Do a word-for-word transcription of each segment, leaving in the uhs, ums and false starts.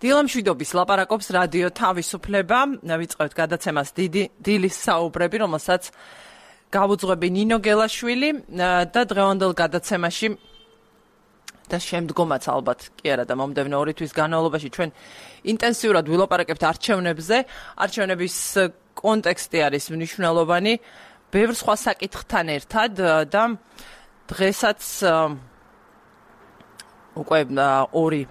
დილამშვიდობის ლაპარაკობს რადიო თავისუფლება. ვიწყებთ გადაცემას დიდი დილის საუბრები, რომელსაც გავუძღვები ნინო გელაშვილი და დღევანდელ გადაცემაში და შემდგომაც ალბათ კი არა და მომდევნო ორი თვის განმავლობაში ჩვენ ინტენსიურად ვილაპარაკებთ არჩევნებზე. არჩევნების კონტექსტი არის მნიშვნელოვანი ბევრ სხვა საკითხთან ერთად და დღესაც უკვე ორი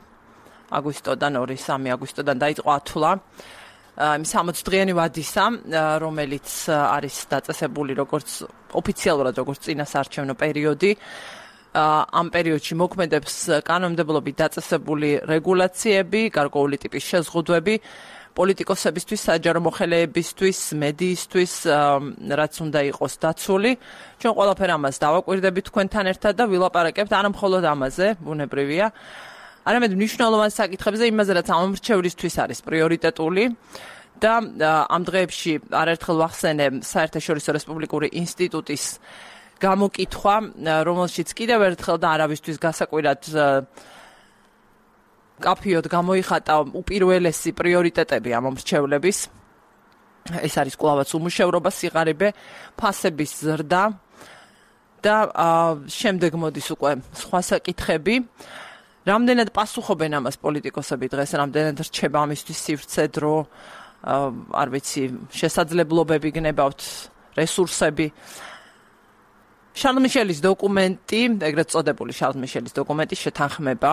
აგვისტოდან, ორი სამი აგვისტოდან დაიწყო ათვლა იმ სამოც დღიანი ვადისა, რომელიც არის დაწესებული როგორც ოფიციალურად როგორც წინასაარჩევნო პერიოდი. ამ პერიოდში მოქმედებს კანონმდებლობით დაწესებული რეგულაციები, გარკვეული ტიპის შეზღუდვები პოლიტიკოსებისთვის, საჯარო მოხელეებისთვის, მედიისთვის, რაც უნდა იყოს დაცული. ჩვენ ყველაფერ ამას დავაკვირდებით თქვენთან ერთად და ვილაპარაკებთ არა მხოლოდ ამაზე, ბუნებრივია, არამედ მნიშვნელოვან საკითხებზე, იმაზე, რაც ამომრჩევლისთვის არის პრიორიტეტული და ამ დღეებში არაერთხელ ვახსენე საერთაშორისო რესპუბლიკური ინსტიტუტის გამოკითხვა, რომელშიც კიდევ ერთხელ და არავისთვის გასაკვირად კაფიოდ გამოიხატა უპირველესი პრიორიტეტები ამომრჩევლების. ეს არის კვლავაც უმუშევრობა, სიღარიბე, ფასების ზრდა და შემდეგ მოდის უკვე სხვა საკითხები. რამდენად პასუხობენ ამას პოლიტიკოსები დღეს, რამდენად რჩება ამისთვის სივრცე, დრო, არ ვიცი, შესაძლებლობები გნებავთ, რესურსები. შარლ მიშელის დოკუმენტი, ეგრეთ წოდებული შარლ მიშელის დოკუმენტის შეთანხმება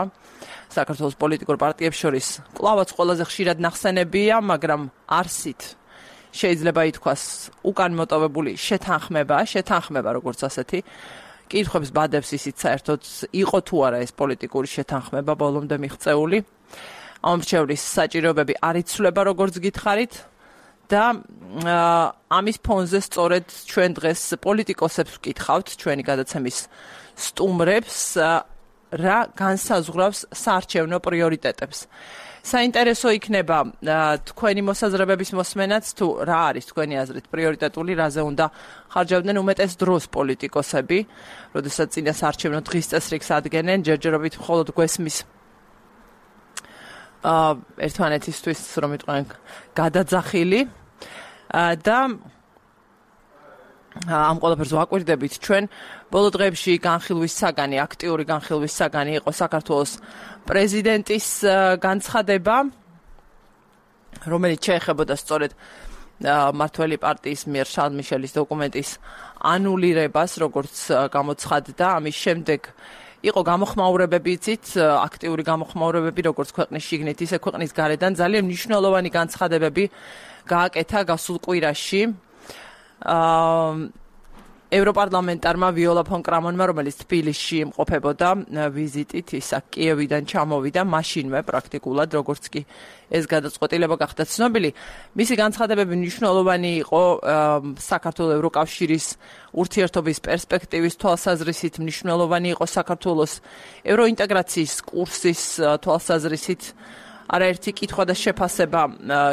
საქართველოს პოლიტიკურ პარტიებს შორის კვლავაც ყველაზე ხშირად ნახსენებია, მაგრამ არსით შეიძლება ითქვას უკან მოტოვებული შეთანხმება, შეთანხმება როგორც ასეთი. კითხვებს ბადებს ისიც საერთოდ იყო თუ არა ეს პოლიტიკური შეთანხმება ბოლომდე მიღწეული. ამომრჩევლის საჭიროებები არ იცვლება როგორც გითხარით და ამის ფონზე სწორედ ჩვენ დღეს პოლიტიკოსებს ვკითხავთ, ჩვენი გადაცემის სტუმრებს, რა განსაზღვრავს საარჩევნო პრიორიტეტებს. საინტერესო იქნება თქვენი მოსაზრებების მოსმენაც, თუ რა არის თქვენი აზრით პრიორიტეტული, რაზე უნდა ხარჯავდნენ უმეტეს დროს პოლიტიკოსები, როდესაც წინასაარჩევნო დღის წესრიგს ადგენენ, ჯერჯერობით მხოლოდ გვესმის ერთმანეთისთვის, რომ იყვნენ გადაძახილი და ამ ყველაფერს ვაკვირდებით ჩვენ. ბოლო დღეებში განხილვის საგანი, აქტიური განხილვის საგანი იყო საქართველოს პრეზიდენტის განცხადება, რომელიც შეეხებოდა სწორედ მმართველი პარტიის მიერ შარლ მიშელის დოკუმენტის ანულირებას, როგორც გამოცხადდა. ამის შემდეგ იყო გამოხმაურებები, იცით, აქტიური გამოხმაურებები, როგორც ქვეყნის შიგნით, ისე ქვეყნის გარედან. ძალიან მნიშვნელოვანი განცხადებები გააკეთა გასულ კვირაში ევროპარლამენტარმა ვიოლა ფონ კრამონმა, რომელიც თბილისში იმყოფებოდა ვიზიტით, ის აქ კიევიდან ჩამოვიდა მაშინვე პრაქტიკულად, როგორც კი ეს გადაწყვეტილება გახდა ცნობილი. მისი განცხადებები მნიშვნელოვანი იყო საქართველოს ევროკავშირის ურთიერთობის პერსპექტივის თვალსაზრისით, მნიშვნელოვანი იყო საქართველოს ევროინტეგრაციის კურსის თვალსაზრისით. არაერთი კითხვა და შეფასება,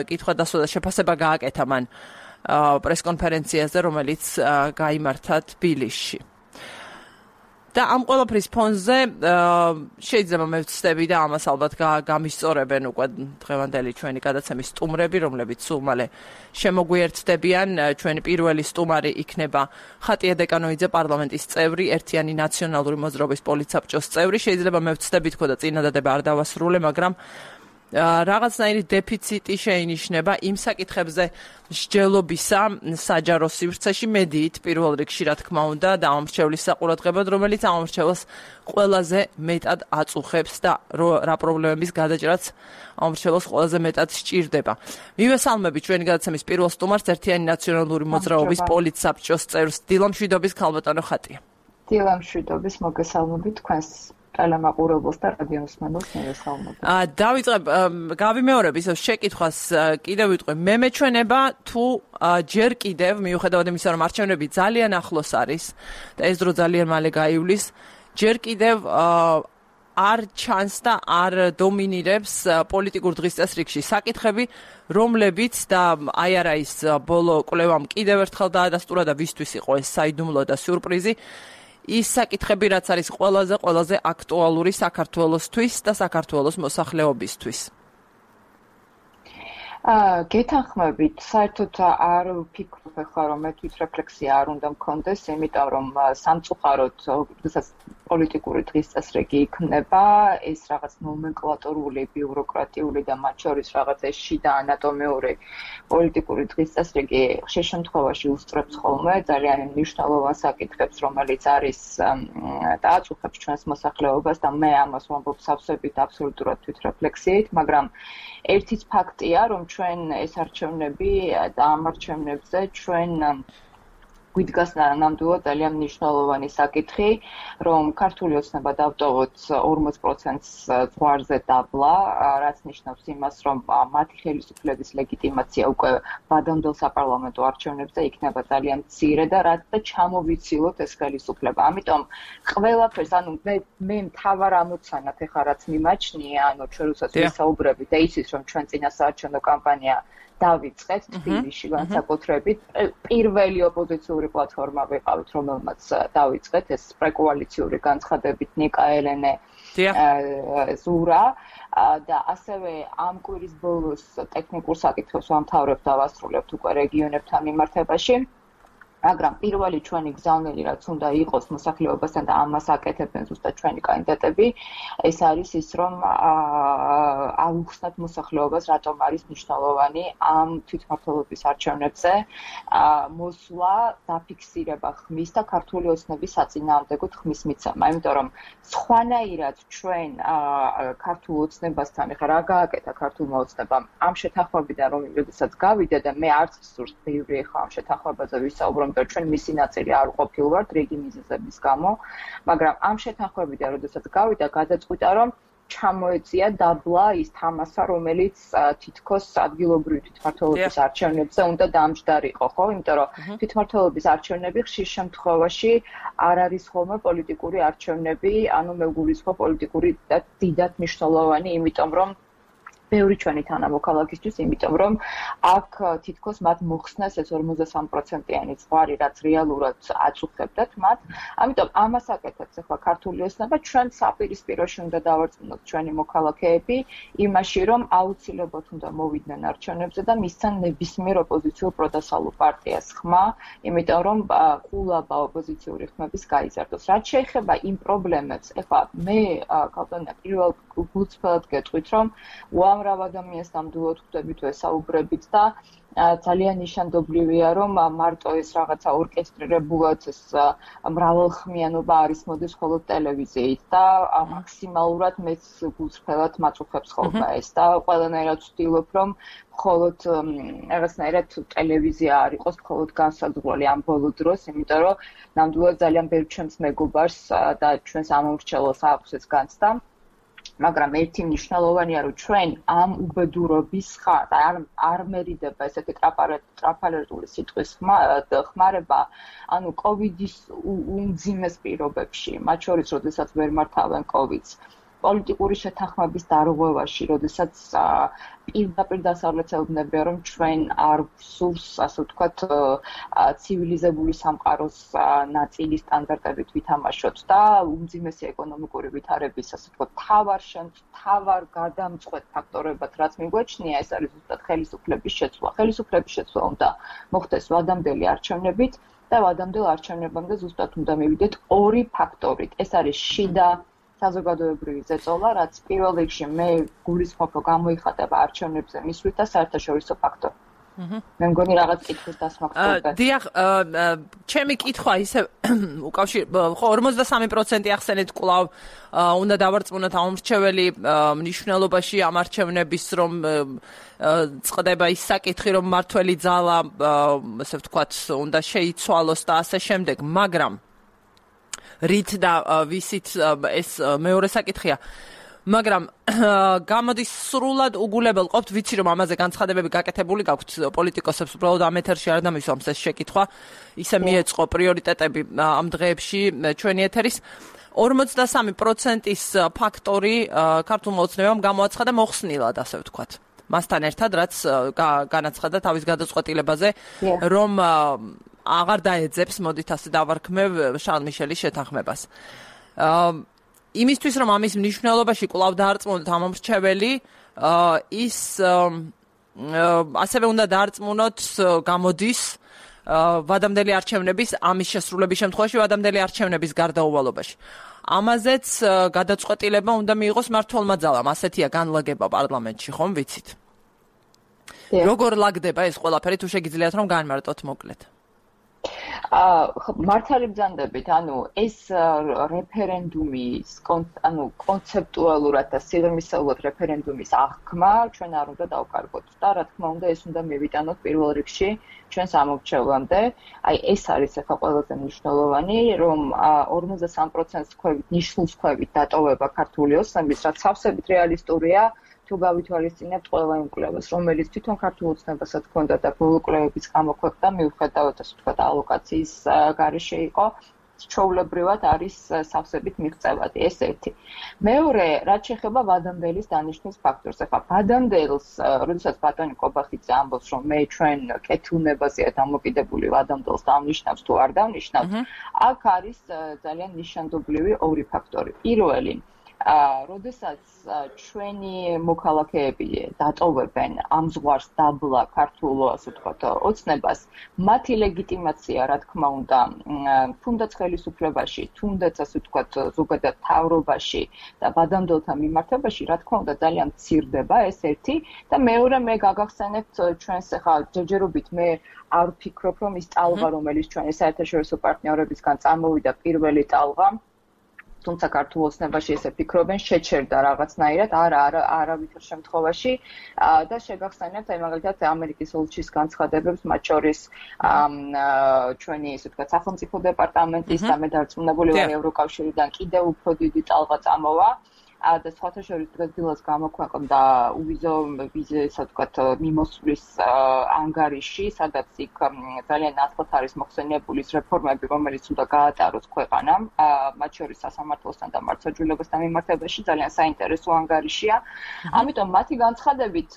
კითხვა და შეფასება გააკეთა მან პრესკონფერენციაზე, რომელიც გაიმართა თბილისში. და ამ ყველაფრის ფონზე შეიძლება მე ვცდები და ამას ალბათ გამისწორებენ უკვე დღევანდელი ჩვენი გადაცემის სტუმრები, რომლებიც სულ მალე შემოგვიერთდებიან. ჩვენი პირველი სტუმარი იქნება ხატია დეკანოიძე, პარლამენტის წევრი, ერთიანი ნაციონალური მოძრაობის პოლიტსაბჭოს წევრი. შეიძლება მე ვცდები თქო და წინადადება არ დავასრულე, მაგრამ რაღაცნაირი დეფიციტი შეინიშნება იმ საკითხებზე მსჯელობისა საჯარო სივრცეში, მედიით პირველ რიგში, რა თქმა უნდა, და ამომრჩევლის საყურადღებოდ, რომელიც ამომრჩევლს ყველაზე მეტად აწუხებს და რა პრობლემების გადაჭრაც ამომრჩევლს ყველაზე მეტად სჭირდება. მივესალმები ჩვენი გადაცემის პირველ სტუმარს, ერთიანი ნაციონალური მოძრაობის პოლიტსაბჭოს წევრს, დილამშვიდობის ქალბატონო ხატია. დილამშვიდობის, მოგესალმებით თქვენს ტელემაყურებელს და რადიოსმენელს მივესალმებით. დავიწყებ, გავიმეორებ ისევ შეკითხვას, კიდევ ვიტყვი, მე მეჩვენება თუ ჯერ კიდევ, მიუხედავად იმისა, რომ არჩევნები ძალიან ახლოს არის და ეს დრო ძალიან მალე გაივლის, ჯერ კიდევ არ ჩანს და არ დომინირებს პოლიტიკურ დღის წესრიგში საკითხები, რომლებიც და აი არა ის ბოლო კვლევამ კიდევ ერთხელ დაადასტურა და ვისთვის იყო ეს საიდუმლო და სიურპრიზი. ის საკითხები, რაც არის ყველაზე ყველაზე აქტუალური საქართველოსთვის და საქართველოს მოსახლეობისთვის. აა გეთანხმებით, საერთოდ არ ვფიქრობ ახლა რომ მე თვითრეფლექსია არ უნდა მქონდეს, იმიტომ რომ სამწუხაროდ როდესაც პოლიტიკური დღის წესრიგი იქნება, ეს რაღაც ნომენკლატურული, ბიუროკრატიული და მათ შორის რაღაც ეს შიდა ანატომიური პოლიტიკური დღის წესრიგი ხშირ შემთხვევაში უსწრებს ხოლმე ძალიან მნიშვნელოვან საკითხებს, რომელიც არის დააწუხებს ჩვენს მოსახლეობას და მე ამას ვამბობ სავსებით აბსოლუტურად თვითრეფლექსიით, მაგრამ ერთიც ფაქტია, რომ ჩვენ ეს არჩევნები და ამ არჩევნებზე ჩვენ გვიდგას ნამდვილად ძალიან მნიშვნელოვანი საკითხი, რომ ქართული ოცნება დავტოვოთ ორმოც პროცენტს ზღვარზე დაბლა, რაც ნიშნავს იმას, რომ მათი ხელისუფლების ლეგიტიმაცია უკვე ვადამდელ საპარლამენტო არჩევნებზე იქნება ძალიან მცირე და რაც და ჩამოვიცილოთ ეს ხელისუფლება. ამიტომ ყველაფერს, ანუ მე მე მთავარ ამოცანად ეხლა რაც მიმაჩნია, ანუ ჩვენ როდესაც ვისაუბრებით და იცის, რომ ჩვენ წინასაარჩევნო კამპანია დავიწყეთ თბილისში განსაკუთრებით პირველი ოპოზიციური პლატფორმა ვიყავით, რომელმაც დავიწყეთ ეს პრეკოალიციური განცხადებით ნიკა ელენე ზურა და ასევე ამ კვირის ბოლოს ტექნიკურ საკითხებს ვამთავრებთ და ვასრულებთ უკვე რეგიონებთან მიმართებაში. მაგრამ პირველი ჩვენი გზავნილი რაც უნდა იყოს მოსახლეობასთან და ამას აკეთებენ ზუსტად ჩვენი კანდიდატები, ეს არის ის, რომ აუხსნათ მოსახლეობას, რატომ არის მნიშვნელოვანი ამ თვითმმართველობის არჩევნებზე მოსვლა, დაფიქსირება ხმის და ქართული ოცნების საწინააღმდეგო ხმის მიცემა. იმიტომ რომ სხვანაირად ჩვენ ქართულ ოცნებასთან ეხლა რა გააკეთა ქართულმა ოცნებამ ამ შეთანხმებიდან რომ როდესაც გავიდა და მე არც სურს ბევრი ეხლა ამ შეთანხმებაზე ვისაუბრ რომ ჩვენ მისი ნაწილი არ ყოფილვართ რიგი მიზეზების გამო, მაგრამ ამ შეთანხმებიდან როდესაც გავიდა, გადაწყვიტა რომ ჩამოეწია დაბლა ის თამასა, რომელიც თითქოს ადგილობრივი თვითმმართველობის არჩევნებზე უნდა დამჯდარიყო, ხო? იმიტომ რომ თვითმმართველობის არჩევნები ხშირ შემთხვევაში არ არის ხოლმე პოლიტიკური არჩევნები, ანუ მე ვგულისხმობ პოლიტიკური და დიდად მნიშვნელოვანი, იმიტომ რომ ბევრი ჩვენი თანამოქალაქისთვის, იმიტომ რომ აქ თითქოს მათ მოხსნეს ეს ორმოცდასამი პროცენტიანი ზღვარი, რაც რეალურად აწუხებდათ მათ. ამიტომ ამას აკეთებს ახლა ქართული ოცნება, ჩვენ საპირისპიროში უნდა დავარწმუნოთ ჩვენი მოქალაქეები იმაში, რომ აუცილებლად უნდა მოვიდნენ არჩევნებზე და მისცან ნებისმიერ ოპოზიციურ პროდასალურ პარტიას ხმა, იმიტომ რომ ყულაბა ოპოზიციური ხმების გაიზარდოს. რაც შეეხება იმ პრობლემებს, ახლა მე ქალბატონია პირველ გულწრფელად გეტყვით, რომ უამრავ ადამიანს ნამდვილად ხვდებით, ვესაუბრებით და ძალიან ნიშანდობლივია, რომ მარტო ეს რაღაცა ორკესტრირებულად ეს მრავალხმიანობა არის მოდის მხოლოდ ტელევიზიით და მაქსიმალურად მეც გულწრფელად მაწუხებს ხოლმე ეს და ყველანაირად ვცდილობ, რომ მხოლოდ რაღაცნაირად ტელევიზია არ იყოს მხოლოდ განსაზღვრული ამ ბოლო დროს, იმიტომ რომ ნამდვილად ძალიან ბევრ ჩემს მეგობარს და ჩვენს ამომრჩევლს აქვს ეს განცდა. მაგრამ ერთი მნიშვნელოვანია, რომ ჩვენ ამ უბედურობის ხართ არ არ მერიდება ესეთი ტრაპალერტული სიტყვის ხმარება, ანუ კოვიდის უმძიმეს პირობებში, მათ შორის, როდესაც ვერ მართავენ კოვიდს, პოლიტიკური შეთანხმების დარღვევაში, როდესაც პირდაპირ დასავლეთელებნებია, რომ ჩვენ არ სურს, ასე ვთქვათ, ცივილიზებული სამყაროს ნაწილის სტანდარტებით ვითამაშოთ და უმძიმესი ეკონომიკური ვითარების, ასე ვთქვათ, თავარ თავარ გადამწყვეტ ფაქტორებად, რაც მიგვაჩნია, ეს არის ზუსტად ხელისუფლების შეცვლა. ხელისუფლების შეცვლა უნდა მოხდეს ვადამდელი არჩევნებით და ვადამდელ არჩევნებამდე ზუსტად უნდა მივიდეთ ორი ფაქტორით. ეს არის შიდა საზოგადოებრივი ზეწოლა, რაც პირველ რიგში მე გულისხმობ, რომ გამოიხატება არჩევნებზე მისვლით და საერთაშორისო ფაქტორი. მე მგონი რაღაც კითხვის დასმა გქონდა. დიახ, ჩემი კითხვა ისე უკავშირ ხო ორმოცდასამი პროცენტი ახსენეთ კვლავ უნდა დავარწმუნოთ ამომრჩეველი მნიშვნელობაში ამ არჩევნების, რომ წყდება ის საკითხი, რომ მართველი ძალა, ასე ვთქვათ, უნდა შეიცვალოს და ასე შემდეგ, მაგრამ რით და ვისით ეს მეორე საკითხია. მაგრამ გამოდის სრულად უგულებელ ყოფთ, ვიცი რომ ამაზე განცხადებები გაკეთებული გაქვთ პოლიტიკოსებს, უბრალოდ ამ ეთერში არ დამისვამს ეს შეკითხვა. ისე მიეწყო პრიორიტეტები ამ დღეებში ჩვენი ეთერის. ორმოცდასამი პროცენტის ფაქტორი ქართულმა ოცნებამ გამოაცხადა მოხსნილად, ასე ვთქვათ. მასთან ერთად, რაც განაცხადა თავის გადაწყვეტილებაზე, რომ აღარ დაეძებს, მოდით ასე დავარქმევ შარლ მიშელის შეთანხმებას. იმისთვის, რომ ამის მნიშვნელობაში კვლავ დაარწმუნოთ ამომრჩეველი, ის ასევე უნდა დაარწმუნოთ გამოდის ვადამდელი არჩევნების ამის შესრულების შემთხვევაში ვადამდელი არჩევნების გარდაუვალობაში. ამაზეც გადაწყვეტილება უნდა მიიღოს მმართველმა ძალამ. ასეთია განლაგება პარლამენტში, ხომ ვიცით? როგორ ლაგდება ეს ყველაფერი, თუ შეგიძლიათ რომ განმარტოთ მოკლედ? აა მართალი ბრძანდებით, ანუ ეს რეფერენდუმის ანუ კონცეპტუალურად და სიღრმისეულად რეფერენდუმის აღქმა ჩვენ არ უნდა დავკარგოთ და რა თქმა უნდა ეს უნდა მივიტანოთ პირველ რიგში ჩვენს ამორჩევამდე. აი ეს არის ახლა ყველაზე მნიშვნელოვანი, რომ ორმოცდასამ პროცენტს ქვევით, ნიშნულს ქვევით დატოვება ქართული ოცნების, რაც სავსებით რეალისტურია. თუ გავითვალისწინებთ ყველა იმ კვლევას, რომელიც თვითონ ქართულ ოცნებასაც ჰქონდა და ბოლო კვლევების გამოქვეყნდა, მიუხედავად ასე ვთქვათ, ალოკაციის გარეშე იყო, ჩვეულებრივად არის სავსებით მიღწევადი, ეს ერთი. მეორე, რაც შეეხება ვადამდელის დანიშვნის ფაქტორს. ახლა ვადამდელს, როდესაც ბატონი კობახიძე ამბობს, რომ მე ჩვენ კეთილნებაზეა დამოკიდებული ვადამდელს დავნიშნავს თუ არ დავნიშნავს, აქ არის ძალიან ნიშანდობლივი ორი ფაქტორი. პირველი აა, როდესაც ჩვენი მოქალაქეები დატოვებენ ამ ზღვარს დაბლა ქართულ, ასე ვთქვათ, ოცნებას, მათი ლეგიტიმაცია, რა თქმა უნდა, თუნდაც ხელისუფლებაში, თუნდაც ასე ვთქვათ, ზოგადად მთავრობაში და ვადამდელთა მიმართებაში, რა თქმა უნდა, ძალიან მცირდება, ეს ერთი და მეორე მე გაგახსენებთ ჩვენს ახლა ჯერჯერობით მე არ ვფიქრობ, რომ ის ტალღა, რომელიც ჩვენი საერთაშორისო პარტნიორებისგან წამოვიდა პირველი ტალღა თუმცა ქართულ ოცნებაში ესე ფიქრობენ, შეჩერდა რაღაცნაირად, არა, არა, არავითარ შემთხვევაში და შეგახსენებთ, აი მაგალითად ამერიკის ოლქის განცხადებებს, მათ შორის ჩვენი ესე ვთქვათ, სახელმწიფო დეპარტამენტის და მე დარწმუნებული ვარ ევროკავშირიდან კიდევ უფრო დიდი ტალღა წამოვა. და სხვათა შორის დღესდილას გამოქვეყნდა უვიზო ვიზა, ასე ვთქვათ, მიმოსვლის ანგარიში, სადაც იქ ძალიან ნათლად არის მოხსენიებული ის რეფორმები, რომელიც უნდა გაატაროს ქვეყანამ, მათ შორის სასამართლოსთან და მართლმსაჯულებასთან მიმართებაში ძალიან საინტერესო ანგარიშია. ამიტომ მათი განცხადებით,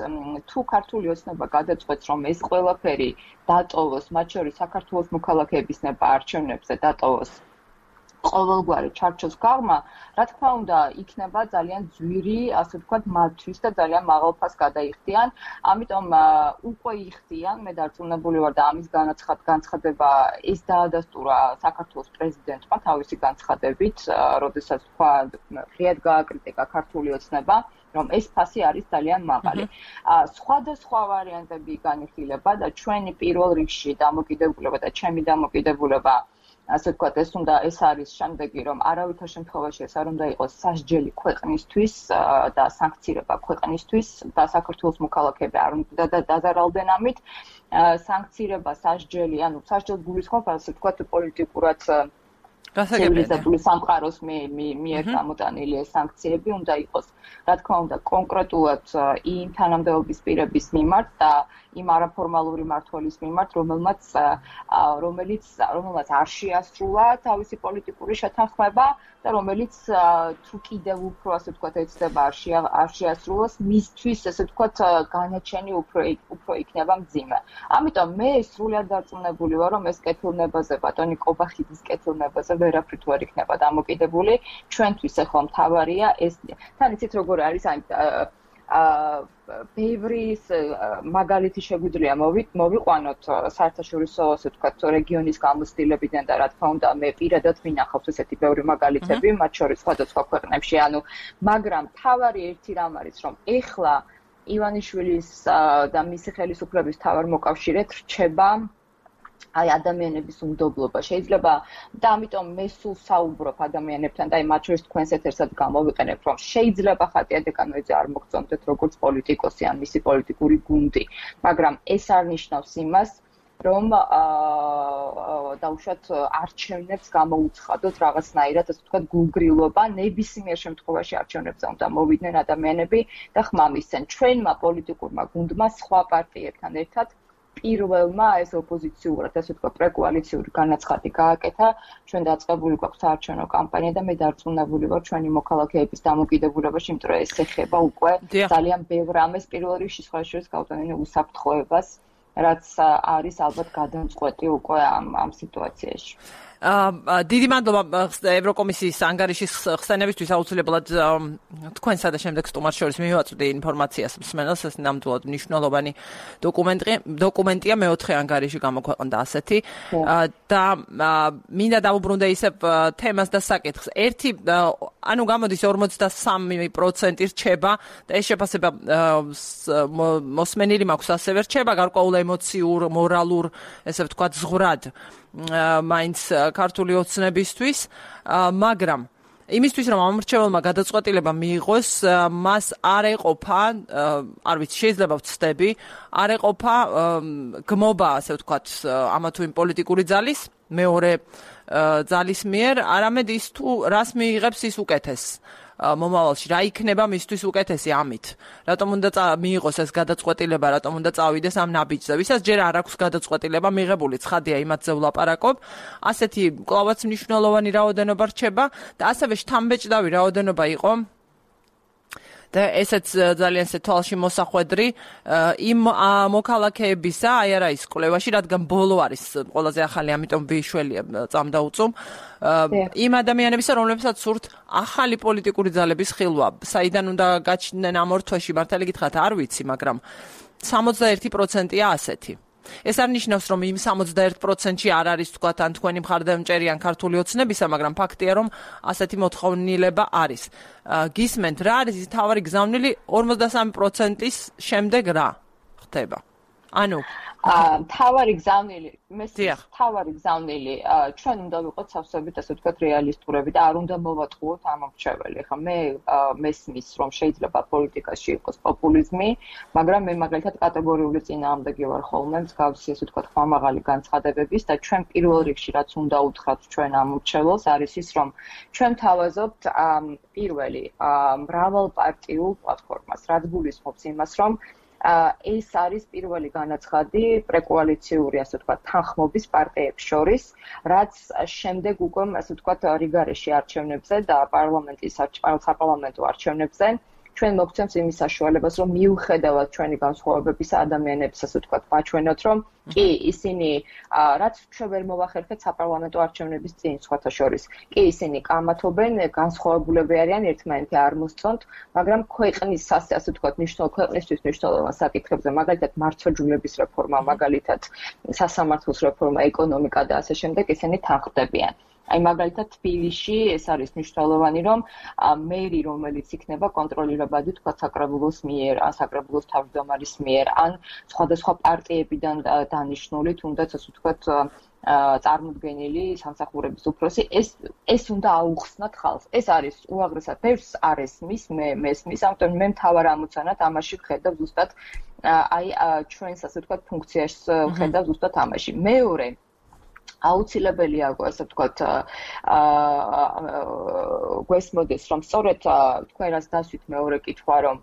თუ ქართული ოცნება გადაწყვეტს, რომ ეს ყველაფერი დატოვოს, მათ შორის საქართველოს მოქალაქეების ნება არჩევნებზე დატოვოს ყოველგვარი ჩარჩოს გაღმა, რა თქმა უნდა, იქნება ძალიან ძვირი, ასე ვთქვათ, მათთვის და ძალიან მაღალ ფასს გადაიხდიან. ამიტომ უკვე იხდიან, მე დარწმუნებული ვარ და ამის განცხადება ეს დაადასტურა საქართველოს პრეზიდენტმა თავისი განცხადებით, როდესაც თქვა, ღიად გააკრიტიკა ქართული ოცნება, რომ ეს ფასი არის ძალიან მაღალი. სხვადასხვა ვარიანტები განიხილება და ჩვენი პირველ რიგში დამოკიდებულება და ჩემი დამოკიდებულება ასე ვთქვათ, ეს უნდა ეს არის შემდეგი, რომ არავითარ შემთხვევაში ეს არ უნდა იყოს სასჯელი ქვეყნისთვის და სანქცირება ქვეყნისთვის და საქართველოს მოქალაქეები არ უნდა დაზარალდნენ ამით. სანქცირება, სასჯელი, ანუ სასჯელს გულისხმობ, ასე ვთქვათ, პოლიტიკურად ცივილიზებული სამყაროს მიერ გამოტანილი ეს სანქციები უნდა იყოს, რა თქმა უნდა, კონკრეტულად იმ თანამდებობის პირების მიმართ და იმ არაფორმალური მმართველის მიმართ, რომელმაც რომელიც რომელმაც არ შეასრულა თავისი პოლიტიკური შეთანხმება და რომელიც თუ კიდევ უფრო, ასე ვთქვათ, ეცდება არ შეასრულოს, მისთვის, ასე ვთქვათ, განაჩენი უფრო უფრო იქნება მძიმე. ამიტომ მე სრულად დარწმუნებული ვარ, რომ ეს კეთილნებაზე, ბატონი კობახიძის კეთილნებაზე ვერაფრით ვერ იქნება დამოკიდებული. ჩვენთვის ახლა მთავარია ეს. თან იცით როგორ არის აი ბევრი მაგალითი შეგვიძლია მოვიყვანოთ საერთაშორისო, ასე ვთქვათ, რეგიონის გამოცდილებიდან და რა თქმა უნდა, მე პირადად მინახავს ესეთი ბევრი მაგალითები, მათ შორის სხვადასხვა ქვეყნებში, ანუ მაგრამ თავარი ერთი რამ არის, რომ ეხლა ივანიშვილის და მისი ხელისუფლების თავარ მოკავშირედ რჩება აი ადამიანების უნდობლობა შეიძლება და ამიტომ მე სულ საუბრობ ადამიანებთან და აი მათ შორის თქვენს ეთერსად გამოვიყენებ, რომ შეიძლება ხატია დეკანოიძე არ მოგწონდეთ როგორც პოლიტიკოსი ან მისი პოლიტიკური გუნდი, მაგრამ ეს არ ნიშნავს იმას, რომ დაუშვათ არჩევნებს გამოუცხადოთ რაღაცნაირად, ასე ვთქვათ, გულგრილობა, ნებისმიერ შემთხვევაში არჩევნებზე უნდა მოვიდნენ ადამიანები და ხმამისცენ. ჩვენმა პოლიტიკურმა გუნდმა სხვა პარტიებთან ერთად პირველმა ეს ოპოზიციურად, ასე ვთქვათ, პრეკოალიციური განაცხადი გააკეთა, ჩვენ დაწყებული გვაქვს საარჩევნო კამპანია და მე დარწმუნებული ვარ ჩვენი მოქალაქეების დამოკიდებულებაში, იმიტომ რომ ეს ეხება უკვე ძალიან ბევრ ამას პირველ რიგში სხვა შორის გავტანილი უსაფრთხოებას რაც არის ალბათ გადამწყვეტი უკვე ამ ამ სიტუაციაში. აა დიდი მადლობა ევროკომისიის ანგარიშის ხსენებისთვის აუცილებლად თქვენსა და შემდეგ სტუმარს შორის მივაწვდი ინფორმაციას მსმენელს ეს ნამდვილად მნიშვნელოვანი დოკუმენტი დოკუმენტია მეოთხე ანგარიში გამოქვეყნდა ასეთი და მინდა დავუბრუნდე ისევ თემას და საკითხს ერთი ანუ გამოდის ორმოცდასამი პროცენტი რჩება და ეს შეფასება მოსმენილი მაქვს ასევე რჩება გარკვეულ ემოციურ მორალურ ესე ვთქვათ ზღვრად მაინც ქართული ოცნებისთვის, მაგრამ იმისთვის რომ ამ მრჩეველმა გადაწყვეტილება მიიღოს, მას არ ეყოფა, არ ვიცი, შეიძლება ვცდები, არ ეყოფა გმობა, ასე ვთქვათ, ამა თუ იმ პოლიტიკური ძალის, მეორე ძალის მიერ, არამედ ის თუ რას მიიღებს ის უკეთეს. მომავალში რა იქნება მისთვის უკეთესი ამით. რატომ უნდა მიიღოს ეს გადაწყვეტილება, რატომ უნდა წავიდეს ამ ნაბიჯზე. ვისაც ჯერ არ აქვს გადაწყვეტილება მიღებული, ცხადია იმათზე ვლაპარაკობ. ასეთი კლავაც მნიშვნელოვანი რაოდენობა რჩება და ასევე შთამბეჭდავი რაოდენობა იყო და ესეც ძალიან ესე თვალში მოსახვედრი იმ მოქალაქეებისა, აი არა ის კვლევაში, რადგან ბოლო არის ყველაზე ახალი, ამიტომ ვიშველია წამდაუწუმ იმ ადამიანებისა, რომლებსაც სურთ ახალი პოლიტიკური ძალების ხილვა. საიდან უნდა გაჩნდნენ ამ ორ თვეში, მართალი გითხრათ, არ ვიცი, მაგრამ სამოცდაერთი პროცენტია ასეთი. ეს არ ნიშნავს, რომ იმ სამოცდაერთ პროცენტში არ არის თქვათ ან თქვენი მხარდამჭერიან ქართული ოცნებისა, მაგრამ ფაქტია, რომ ასეთი მოთხოვნილება არის. გისმენთ, რა არის ის თავარი გზავნილი ორმოცდასამი პროცენტის შემდეგ რა ხდება? ანუ თავარი გზავნილი, მესმის თავარი გზავნილი, ჩვენ უნდა ვიყოთ სავსებით, ასე ვთქვათ, რეალისტურები და არ უნდა მოვატყუოთ ამ მრჩეველი. ხა მე მესმის, რომ შეიძლება პოლიტიკაში იყოს პოპულიზმი, მაგრამ მე მაგალითად კატეგორიული წინააღმდეგი ვარ ხოლმე მსგავსი, ასე ვთქვათ, ხმამაღალი განცხადებების და ჩვენ პირველ რიგში რაც უნდა უთხრათ ჩვენ ამ მრჩეველს არის ის, რომ ჩვენ თავაზობთ პირველი მრავალპარტიულ პლატფორმას, რაც გულისხმობს იმას, რომ ეს არის პირველი განაცხადი პრეკოალიციური, ასე ვთქვათ, თანხმობის პარტიებს შორის, რაც შემდეგ უკვე, ასე ვთქვათ, რიგარეში არჩევნებზე და პარლამენტის საპარლამენტო არჩევნებზე ჩვენ მოგცემს იმის საშუალებას, რომ მიუხედავად ჩვენი განსხვავებების ადამიანებს, ასე ვთქვათ, მაჩვენოთ, რომ კი, ისინი რაც ჩვენ ვერ მოვახერხეთ საპარლამენტო არჩევნების წინ, სხვათა შორის, კი, ისინი კამათობენ, განსხვავებულები არიან, ერთმანეთი არ მოსწონთ, მაგრამ ქვეყნის, ასე ვთქვათ, მნიშვნელოვან ქვეყნისთვის მნიშვნელოვან საკითხებზე, მაგალითად, მართლმსაჯულების რეფორმა, მაგალითად, სასამართლოს რეფორმა, ეკონომიკა და ასე შემდეგ, ისინი თანხმდებიან. აი მაგალითად თბილისში ეს არის მნიშვნელოვანი, რომ მერი, რომელიც იქნება კონტროლირებადი თქვა საკრებულოს მიერ, ან საკრებულოს თავმჯდომარის მიერ, ან სხვადასხვა პარტიებიდან დანიშნული, თუნდაც ასე ვთქვათ, წარმოდგენილი სამსახურების უფროსი, ეს ეს უნდა აუხსნათ ხალხს. ეს არის უაღრესად ბევრს არ ესმის, მე მესმის, ამიტომ მე მთავარ ამოცანად ამაში ვხედავ ზუსტად აი ჩვენს ასე ვთქვათ ფუნქციას ვხედავ ზუსტად ამაში. მეორე აუცილებელია, ასე ვთქვათ, გვესმოდეს, რომ სწორედ თქვენ რაც დასვით მეორე კითხვა, რომ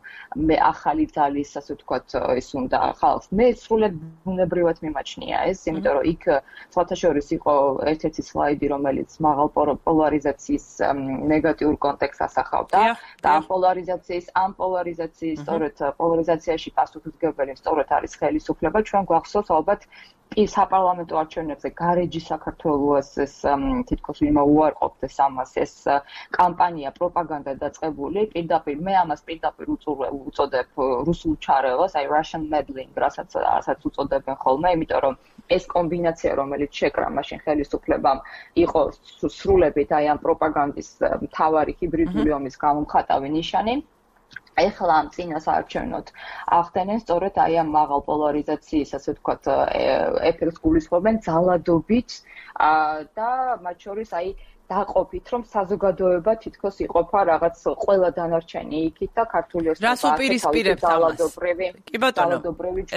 მე ახალი ძალის, ასე ვთქვათ, ის უნდა ხალხს. მე სრულად ბუნებრივად მიმაჩნია ეს, იმიტომ რომ იქ სხვათა შორის იყო ერთ-ერთი სლაიდი, რომელიც მაღალ პოლარიზაციის ნეგატიურ კონტექსტს ასახავდა და ამ პოლარიზაციის, ამ პოლარიზაციის, სწორედ პოლარიზაციაში პასუხისმგებელი, სწორედ არის ხელისუფლება. ჩვენ გვახსოვს ალბათ კი საპარლამენტო არჩევნებზე გარეჯი საქართველოს ეს თითქოს ვინმე უარყოფთ ეს ამას ეს კამპანია პროპაგანდა დაწყებული პირდაპირ მე ამას პირდაპირ უწოდებ რუსულ ჩარევას აი Russian meddling რასაც რასაც უწოდებენ ხოლმე იმიტომ რომ ეს კომბინაცია რომელიც შეკრა მაშინ ხელისუფლებამ იყო სრულებით აი ამ პროპაგანდის მთავარი ჰიბრიდული ომის გამომხატავი ნიშანი ეხლა ამ წინასაარჩევნოდ ახდენენ სწორედ აი ამ მაღალ პოლარიზაციის, ასე ვთქვათ, ეფექტს გულისხმობენ ძალადობით და მათ შორის აი დაყოფით, რომ საზოგადოება თითქოს იყოფა რაღაც ყველა დანარჩენი იქით და ქართული ოცნება რას უპირისპირებთ ამას? კი ბატონო,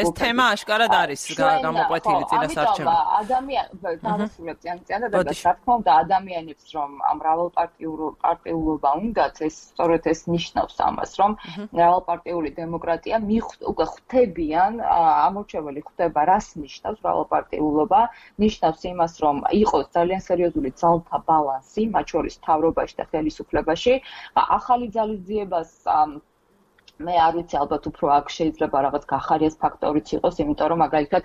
ეს თემა აშკარად არის გამოკვეთილი წინასაარჩევნო. ადამიანი დავასრულებ წიან-წიან და რა თქმა უნდა ადამიანებს რომ მრავალპარტიულობა უნდათ, ეს სწორედ ეს ნიშნავს ამას, რომ მრავალპარტიული დემოკრატია უკვე ხვდებიან, ამორჩეველი ხვდება, რას ნიშნავს მრავალპარტიულობა, ნიშნავს იმას, რომ იყოს ძალიან სერიოზული ძალთა ბალანსი მათ შორის მთავრობაში და ხელისუფლებაში ახალი ძალის ძიებას მე არ ვიცი ალბათ უფრო აქ შეიძლება რაღაც გახარიას ფაქტორიც იყოს, იმიტომ რომ მაგალითად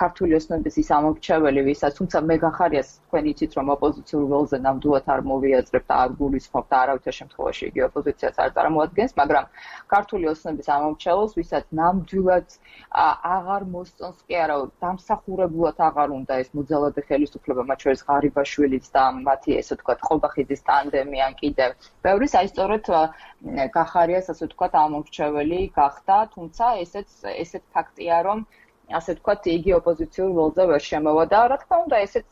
ქართული ოსნობის ის ამორჩეველი, ვისაც თუმცა მე გახარიას თქვენ იცით რომ ოპოზიციურ ველზე ნამდვილად არ მოვიაზრებ და არ გულისხმობ და არავითარ შემთხვევაში იგი ოპოზიციას არ წარმოადგენს, მაგრამ ქართული ოსნობის ამორჩეველს, ვისაც ნამდვილად აღარ მოსწონს კი არა, დამსახურებულად აღარ უნდა ეს მოძალადე ხელისუფლება, მათ შორის ღარიბაშვილიც და მათი ესე ვთქვათ ყობახიძის ტანდემი ან კიდევ ბევრის, აი სწორედ გახარიას ასე ვთქვათ ამორჩეველი გახდა, თუმცა ესეც ესეთ ფაქტია, რომ ასე ვთქვათ, იგი ოპოზიციურ ველზე ვერ შემოვა და რა თქმა უნდა, ესეც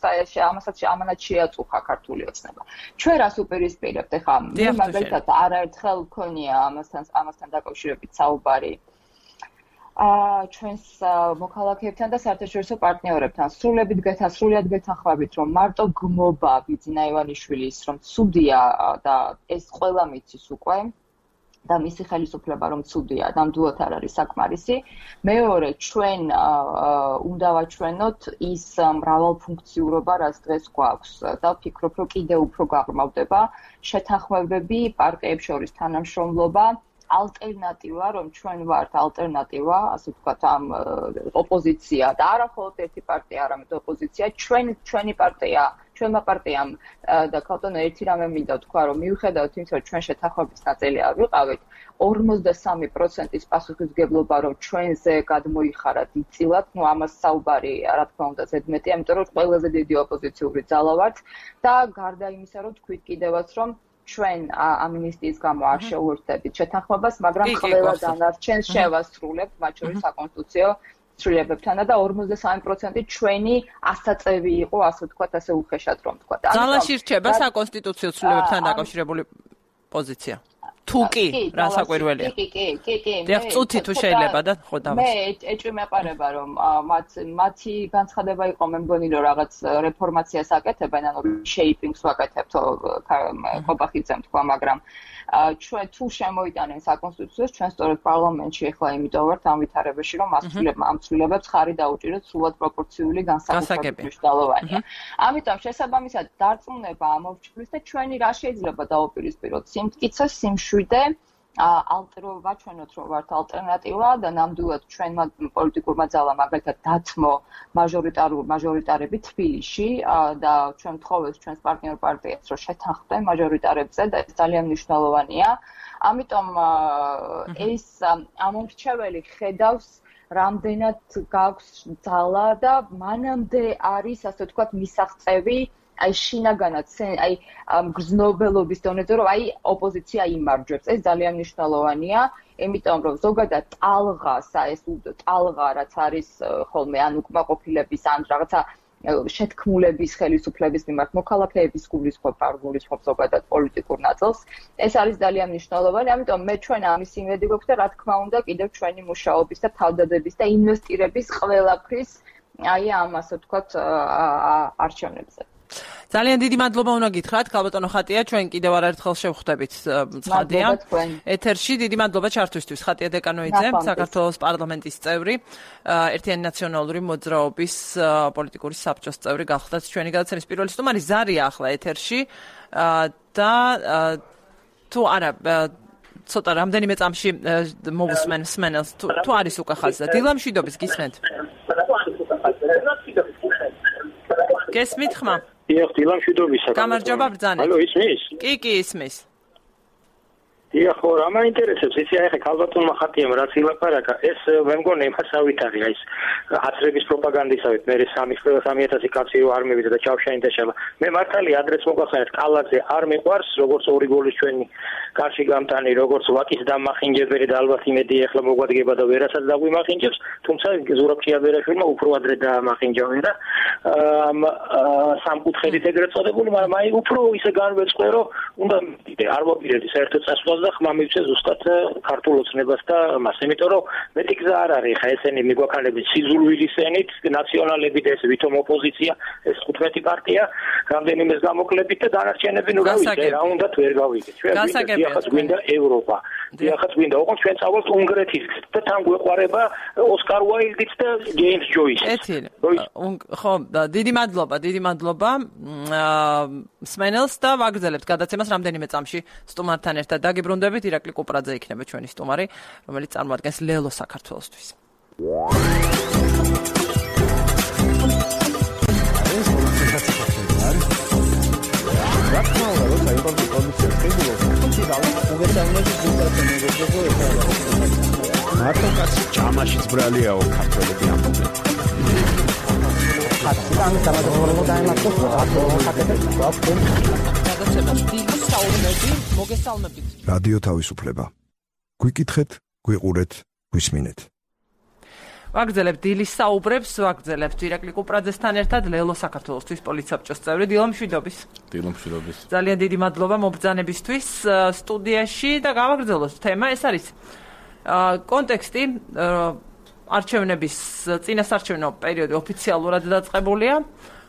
ამასაც ამანაც შეაწუხა ქართული ოცნება. ჩვენ რას უპირისპირებთ? ეხლა მე მაგალითად არაერთხელ მქონია ამასთან ამასთან დაკავშირებით საუბარი აა ჩვენს მოქალაქეებთან და საერთაშორისო პარტნიორებთან. სრულებით გეთანხმებით, გეთანხმებით, რომ მარტო გმობა ბიძინა ივანიშვილის, რომ ცუდია და ეს ყველა მიცის უკვე და მისი ხელისუფლება რომ ცუდია, ნამდვილად არ არის საკმარისი. მეორე, ჩვენ უნდა ვაჩვენოთ ის მრავალფუნქციურობა, რაც დღეს გვაქვს და ვფიქრობ, რომ კიდევ უფრო გაღრმავდება შეთანხმებები, პარტიებს შორის თანამშრომლობა, ალტერნატივა, რომ ჩვენ ვართ ალტერნატივა, ასე ვთქვათ, ამ ოპოზიცია და არა მხოლოდ ერთი პარტია, არამედ ოპოზიცია, ჩვენ ჩვენი პარტია, ჩვენმა პარტიამ და ქალბატონო ერთი რამე მინდა ვთქვა, რომ მიუხედავად იმისა, რომ ჩვენ შეთანხმების ნაწილი არ ვიყავით, ორმოცდასამი პროცენტის პასუხისმგებლობა, რომ ჩვენზე გადმოიხარა დიდწილად, ну ამას საუბარი, რა თქმა უნდა, ზედმეტია, იმიტომ რომ ყველაზე დიდი ოპოზიციური ძალა ვართ და გარდა იმისა, რომ თქვით კიდევაც, რომ ჩვენ ამინისტიის გამო არ შეუერთდებით შეთანხმებას, მაგრამ ყველა დანარჩენს შევასრულებთ, მათ შორის საკონსტიტუციო ცვლილებებთან და ორმოცდასამი პროცენტი ჩვენი ასაწევი იყო, ასე ვთქვათ, ასე უხეშად რომ ვთქვათ. ძალაში რჩება საკონსტიტუციო ცვლილებებთან დაკავშირებული პოზიცია. თუ კი, რა საკვირველია. კი, კი, კი, კი. დიახ, წუთი თუ შეიძლება და ხო დავას. მე ეჭვი მეყარება, რომ მათ მათი განცხადება იყო, მე მგონი, რომ რაღაც რეფორმაციას აკეთებენ, ანუ შეიპინგს ვაკეთებთ, ყობახიძემ თქვა, მაგრამ ჩვენ თუ შემოიტანენ საკონსტიტუციოს, ჩვენ სწორედ პარლამენტში ახლა იმიტომ ვართ ამ ვითარებაში, რომ ამ ცვლილებებს ხარი დაუჭიროთ სრულად პროპორციული განსაკუთრებით მნიშვნელოვანია. ამიტომ შესაბამისად დარწმუნება ამორჩევლის და ჩვენი რა შეიძლება დაუპირისპიროთ სიმტკიცე, სიმშვიდე, ალტერნატივა ვაჩვენოთ, რომ ვართ ალტერნატივა და ნამდვილად ჩვენმა პოლიტიკურმა ძალამ მაგალითად დათმო მაჟორიტარულ მაჟორიტარები თბილისში და ჩვენ ვთხოვეთ ჩვენს პარტნიორ პარტიებს, რომ შეთანხმდნენ მაჟორიტარებზე და ეს ძალიან მნიშვნელოვანია. ამიტომ ეს ამორჩეველი ხედავს რამდენად გაქვს ძალა და მანამდე არის, ასე ვთქვათ, მისაღწევი აი შინაგანად აი გრძნობელობის დონეზე რომ აი ოპოზიცია იმარჯვებს, ეს ძალიან მნიშვნელოვანია, იმიტომ რომ ზოგადად ტალღას, ეს ტალღა რაც არის ხოლმე ან უკმაყოფილების ან რაღაცა შეთქმულების ხელისუფლების მიმართ მოქალაქეების გულისხმობ, არ გულისხმობ ზოგადად პოლიტიკურ ნაწილს, ეს არის ძალიან მნიშვნელოვანი, ამიტომ მე ჩვენ ამის იმედი გვაქვს და რა თქმა უნდა კიდევ ჩვენი მუშაობის და თავდადების და ინვესტირების ყველაფრის აი ამ ასე ვთქვათ არჩევნებზე. ძალიან დიდი მადლობა უნდა გითხრათ, ქალბატონო ხატია, ჩვენ კიდევ არაერთხელ შევხვდებით ცხადია. ეთერში დიდი მადლობა ჩართვისთვის. ხატია დეკანოიძე, საქართველოს პარლამენტის წევრი, ერთიანი ნაციონალური მოძრაობის პოლიტიკური საბჭოს წევრი გახლდათ ჩვენი გადაცემის პირველი სტუმარი. ზარია ახლა ეთერში და თუ არა ცოტა რამდენიმე წამში მოვუსმენ სმენელს თუ არის უკვე ხაზი და დილა მშვიდობის გისმენთ. გესმით ხმა? დიახ, დილა მშვიდობისა. გამარჯობა ბრძანეთ. ალო, ისმის? კი, კი, ისმის. დიახ, ხო, რა მაინტერესებს, იცი, აი ხე ქალბატონმა ხატიამ რაც ილაპარაკა, ეს მე მგონი იმასავით არის, აი ეს ათრების პროპაგანდისავით, მე სამი ათასი კაცი რო არ მივიდა და ჩავშაინდა შელა. მე მართალი ადრეს მოგახსენეთ, კალაძე არ მიყვარს, როგორც ორი გოლის ჩვენი კარში გამტანი, როგორც ვაკის დამახინჯებელი და ალბათ იმედი ახლა მოგვადგება და ვერასაც დაგვიმახინჯებს, თუმცა ზურაბ ჩიაბერაშვილმა უფრო ადრე დაამახინჯა ვერა. ამ სამკუთხედით ეგრეთ წოდებული, მაგრამ აი უფრო ისე განვეწყე, რომ უნდა არ მოვიდეთ საერთოდ წასვლას და ხმა მივცე ზუსტად ქართულ ოცნებას და მას, იმიტომ რომ მეტი გზა არ არის, ხა ესენი მიგვაქანებით სიზულვილისენით, ნაციონალებით ეს ვითომ ოპოზიცია, ეს თხუთმეტი პარტია რამდენიმეს გამოკლებით და დანარჩენები ნუ რა ვიცი რა უნდათ ვერ გავიგეთ. ჩვენ ვინახაც გვინდა ევროპა. ვინახაც გვინდა ოღონდ ჩვენ წავალთ უნგრეთის და თან გვეყარება ოსკარ უაილდიც და ჯეიმს ჯოისიც. ეთილი. ხო, დიდი მადლობა, დიდი მადლობა. სმენელს და ვაგრძელებთ გადაცემას რამდენიმე წამში სტუმართან ერთად დაგიბრუნდებით. ირაკლი კუპრაძე იქნება ჩვენი სტუმარი, რომელიც წარმოადგენს ლელო საქართველოსთვის. მარტო კაცი ჯამაშიც ბრალიაო ქართველები ამბობენ. ამის დამადროულობა დაემართოს რადიო თავისუფლება. გვიკითხეთ, გვიყურეთ, გვისმინეთ. ვაგრძელებთ დილის საუბრებს, ვაგრძელებთ ირაკლი კუპრაძესთან ერთად ლელო საქართველოსთვის პოლიცსაბჭოს წევრი დილო მშვიდობის. დილო მშვიდობის. ძალიან დიდი მადლობა მობრძანებისთვის სტუდიაში და გავაგრძელოთ თემა. ეს არის კონტექსტი არჩევნების წინასარჩევნო პერიოდი ოფიციალურად დაწყებულია,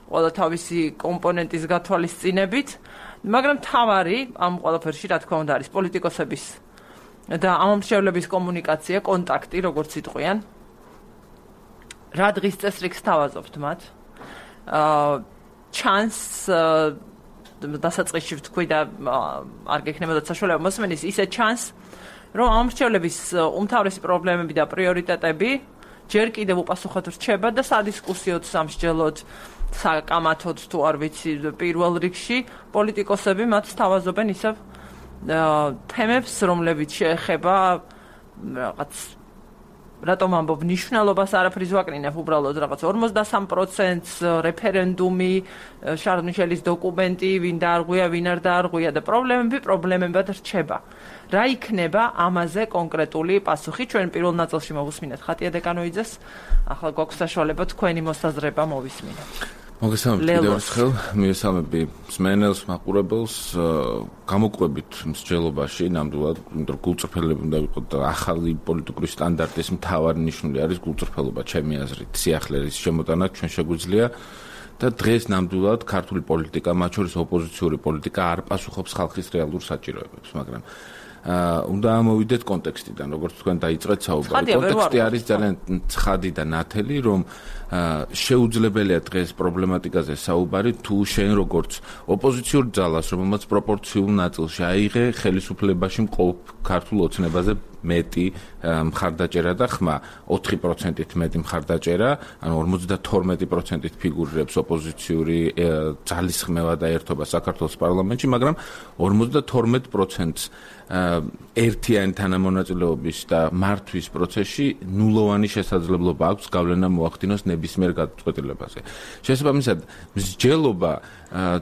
ყველა თავისი კომპონენტის გათვალისწინებით, მაგრამ თავარი ამ ყველაფერში რა თქმა უნდა არის პოლიტიკოსების და ამომრჩევლების კომუნიკაცია, კონტაქტი, როგორც იტყვიან. რა დღის წესრიგს თავაზობთ მათ? აა ჩანს დასაწყისში ვთქვი და არ გექნებოდათ საშუალება მოსმენის, ისე ჩანს, რომ ამომრჩევლების უმთავრესი პრობლემები და პრიორიტეტები ჯერ კიდევ უპასუხოდ რჩება და სადისკუსიოდ, სამსჯელოდ, საკამათოდ თუ არ ვიცი, პირველ რიგში პოლიტიკოსები მათ თავაზობენ ისევ თემებს, რომლებიც შეეხება რაღაც რატომ ამბობ ნიშნულობას არაფრის ვაკნინებ უბრალოდ რაღაც ორმოცდასამ პროცენტს რეფერენდუმი, შარლ მიშელის დოკუმენტი, ვინ დაარღვია, ვინ არ დაარღვია და პრობლემები პრობლემებად რჩება. რა იქნება ამაზე კონკრეტული პასუხი? ჩვენ პირველ ნაწილში მოვუსმინეთ ხატია დეკანოიძეს, ახლა გვაქვს საშუალება თქვენი მოსაზრება მოვისმინოთ. მოგესალმებით კიდევ ერთხელ, მიესალმები მსმენელს, მაყურებელს, გამოკვებით მსჯელობაში, ნამდვილად, იმიტომ რომ გულწრფელები უნდა ვიყოთ და ახალი პოლიტიკური სტანდარტის მთავარი ნიშნული არის გულწრფელობა, ჩემი აზრით, სიახლეების შემოტანა ჩვენ შეგვიძლია და დღეს ნამდვილად ქართული პოლიტიკა, მათ შორის ოპოზიციური პოლიტიკა არ პასუხობს ხალხის რეალურ საჭიროებებს, მაგრამ უნდა ამოვიდეთ კონტექსტიდან, როგორც თქვენ დაიწყეთ საუბარი. კონტექსტი არის ძალიან ცხადი და ნათელი, რომ შეუძლებელია დღეს პრობლემატიკაზე საუბარი, თუ შენ როგორც ოპოზიციურ ძალას, რომელმაც პროპორციულ ნაწილში აიღე ხელისუფლებაში მყოფ ქართულ ოცნებაზე მეტი მხარდაჭერა და ხმა, ოთხი პროცენტით მეტი მხარდაჭერა, ანუ ორმოცდათორმეტი პროცენტით ფიგურირებს ოპოზიციური ძალისხმევა და ერთობა საქართველოს პარლამენტში, მაგრამ ორმოცდათორმეტ პროცენტს ერთიანი თანამონაწილეობის და მართვის პროცესში ნულოვანი შესაძლებლობა აქვს გავლენა მოახდინოს ნებისმიერ გადაწყვეტილებაზე. შესაბამისად, მსჯელობა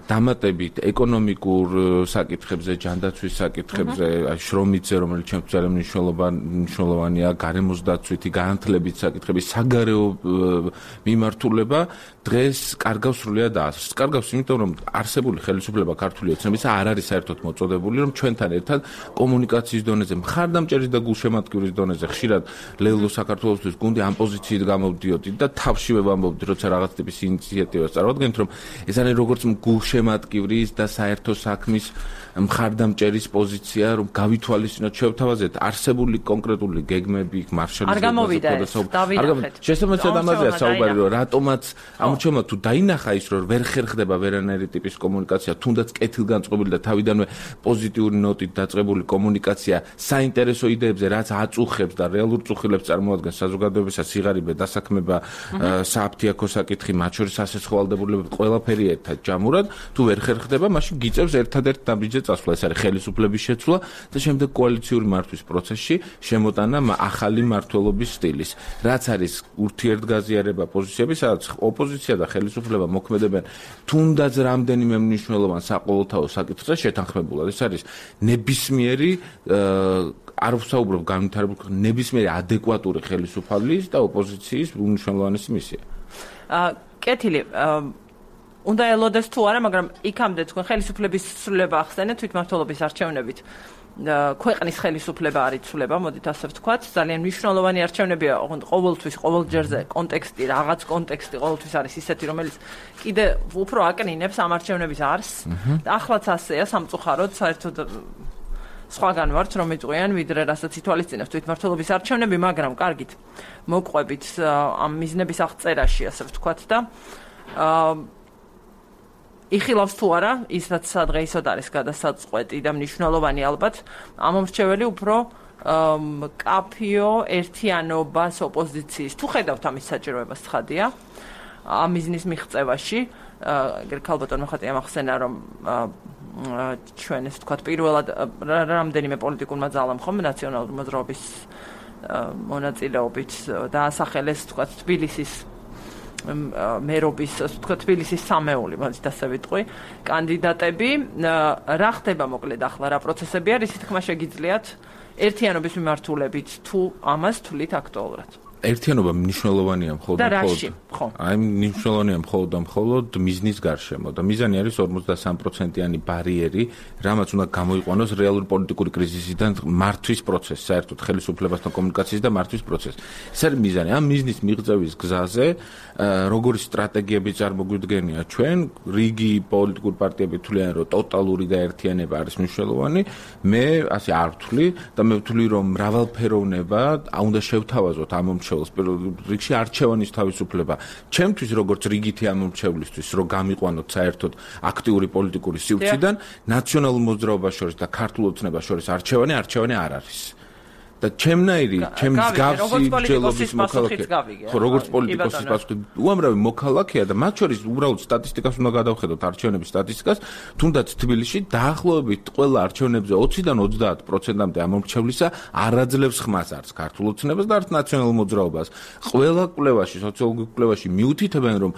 დამატებით ეკონომიკურ საკითხებზე, ჯანდაცვის საკითხებზე, შრომითზე, რომელიც ჩემთვის ძალიან მნიშვნელოვანია, გარემოს დაცვითი, განათლებით საკითხები, საგარეო მიმართულება დღეს კარგავს სრულიად აზრს. კარგავს, იმიტომ რომ არსებული ხელისუფლება ქართული ოცნებისა არ არის საერთოდ მოწოდებული, რომ ჩვენთან ერთად კომუნიკაციის დონეზე, მხარდამჭერის და გულშემატკივრის დონეზე ხშირად ლელო საქართველოსთვის გუნდი ამ პოზიციით გამოვდიოდი და თავშივე ვამბობდი, როცა რაღაც ტიპის ინიციატივას წარვადგენთ, რომ ეს არის როგორც გულშემატკივრის და საერთო საქმის მხარდამჭერის პოზიცია, რომ გავითვალისწინოთ, შევთავაზეთ არსებული კონკრეტული გეგმები, მარშალის არ გამოვიდა ეს, დავინახეთ. შესაბამისად ამაზეა საუბარი, რომ რატომაც ამჩომა თუ დაინახა ის, რომ ვერ ხერხდება ვერანაირი ტიპის კომუნიკაცია, თუნდაც კეთილგანწყობილი და თავიდანვე პოზიტიური ნოტით დაწყებული კომუნიკაცია საინტერესო იდეებზე, რაც აწუხებს და რეალურ წუხილებს წარმოადგენს საზოგადოებისა, სიღარიბე, დასაქმება, სააფთიაქო საკითხი, მათ შორის ასეცხოვალდებულებები, ყველაფერი ერთად ჯამურად, თუ ვერ ხერხდება, მაშინ გიწევს ერთადერთ ნაბიჯზე წასვლა, ეს არის ხელისუფლების შეცვლა და შემდეგ კოალიციური მართვის პროცესში შემოტანა ახალი მმართველობის სტილის. რაც არის ურთიერთგაზიარება პოზიციების, სადაც ოპოზიცია და ხელისუფლება მოქმედებენ თუნდაც რამდენიმე მნიშვნელოვან საყოველთაო საკითხზე შეთანხმებულად. ეს არის ნებისმიერი არ ვსაუბრობ განვითარებულ ნებისმიერი ადეკვატური ხელისუფლების და ოპოზიციის უმნიშვნელოვანესი მისია. კეთილი უნდა ელოდეს თუ არა, მაგრამ იქამდე თქვენ ხელისუფლების ცვლილება ახსენეთ თვითმმართველობის არჩევნებით. ქვეყნის ხელისუფლება არ იცვლება, მოდით ასე ვთქვათ, ძალიან მნიშვნელოვანი არჩევნებია, ყოველთვის, ყოველ ჯერზე კონტექსტი, რაღაც კონტექსტი ყოველთვის არის ისეთი, რომელიც კიდე უფრო აკნინებს ამ არჩევნების არსს. Ახლაც ასეა სამწუხაროდ, საერთოდ სხვაგან ვართ, რომ იწყვიან, ვიდრე რასაც ითვალისწინებს თვითმმართველობის არჩევნები, მაგრამ კარგით, მოგყვებით ამ მიზნების აღწერაში, ასე ვთქვათ და იხილავს თუ არა ის რაც სადღეისოდ არის გადასაწყვეტი და მნიშვნელოვანი ალბათ ამომრჩეველი უფრო კაფიო ერთიანობას ოპოზიციის თუ ხედავთ ამის საჭიროებას ცხადია ამ მიზნის მიღწევაში ქალბატონმა ხატია ახსენა რომ ჩვენ ეს ვთქვათ პირველად რამდენიმე პოლიტიკურმა ძალამ ხომ ნაციონალური მოძრაობის მონაწილეობით დაასახელეს ვთქვათ თბილისის მერობის ვთქვათ თბილისის სამეული მოდით ასე ვიტყვი კანდიდატები რა ხდება მოკლედ ახლა რა პროცესები არის თქმა შეგიძლიათ ერთიანობის მიმართულებით თუ ამას თვლით აქტუალურად ერთიანობა მნიშვნელოვანია მხოლოდ და რაში ხო აი მნიშვნელოვანია მხოლოდ და მხოლოდ მიზნის გარშემო და მიზანი არის ორმოცდასამი პროცენტიანი ბარიერი რამაც უნდა გამოიყვანოს რეალური პოლიტიკური კრიზისიდან მართვის პროცესი საერთოდ ხელისუფლებასთან კომუნიკაციის და მართვის პროცესი ეს არის მიზანი ამ მიზნის მიღწევის გზაზე როგორი სტრატეგიები წარმოგვიდგენია ჩვენ რიგი პოლიტიკური პარტიები თვლიან რომ ტოტალური გაერთიანება არის მნიშვნელოვანი მე ასე არ ვთვლი და მე ვთვლი რომ მრავალფეროვნება უნდა შევთავაზოთ ამ ჩემს რიგში არჩევანის თავისუფლება ჩემთვის როგორც რიგითი ამომრჩევლისთვის რომ გამიყვანოთ საერთოდ აქტიური პოლიტიკური სივრციდან ნაციონალურ მოძრაობას შორის და ქართულ ოცნებას შორის არჩევანი არჩევანი არ არის და ჩემნაირი ჩემს გავსი ჯელობის მოქალაქე ხო როგორც პოლიტიკოსის პასუხი უამრავი მოქალაქეა და მათ შორის უბრალოდ სტატისტიკას უნდა გადავხედოთ არჩევნების სტატისტიკას თუნდაც თბილისში დაახლოებით ყველა არჩევნებზე ოციდან ოცდაათ პროცენტამდე ამომრჩევლისა არ აძლევს ხმას არც ქართულ ოცნებას და არც ნაციონალურ მოძრაობას ყველა კვლევაში სოციოლოგიურ კვლევაში მიუთითებენ რომ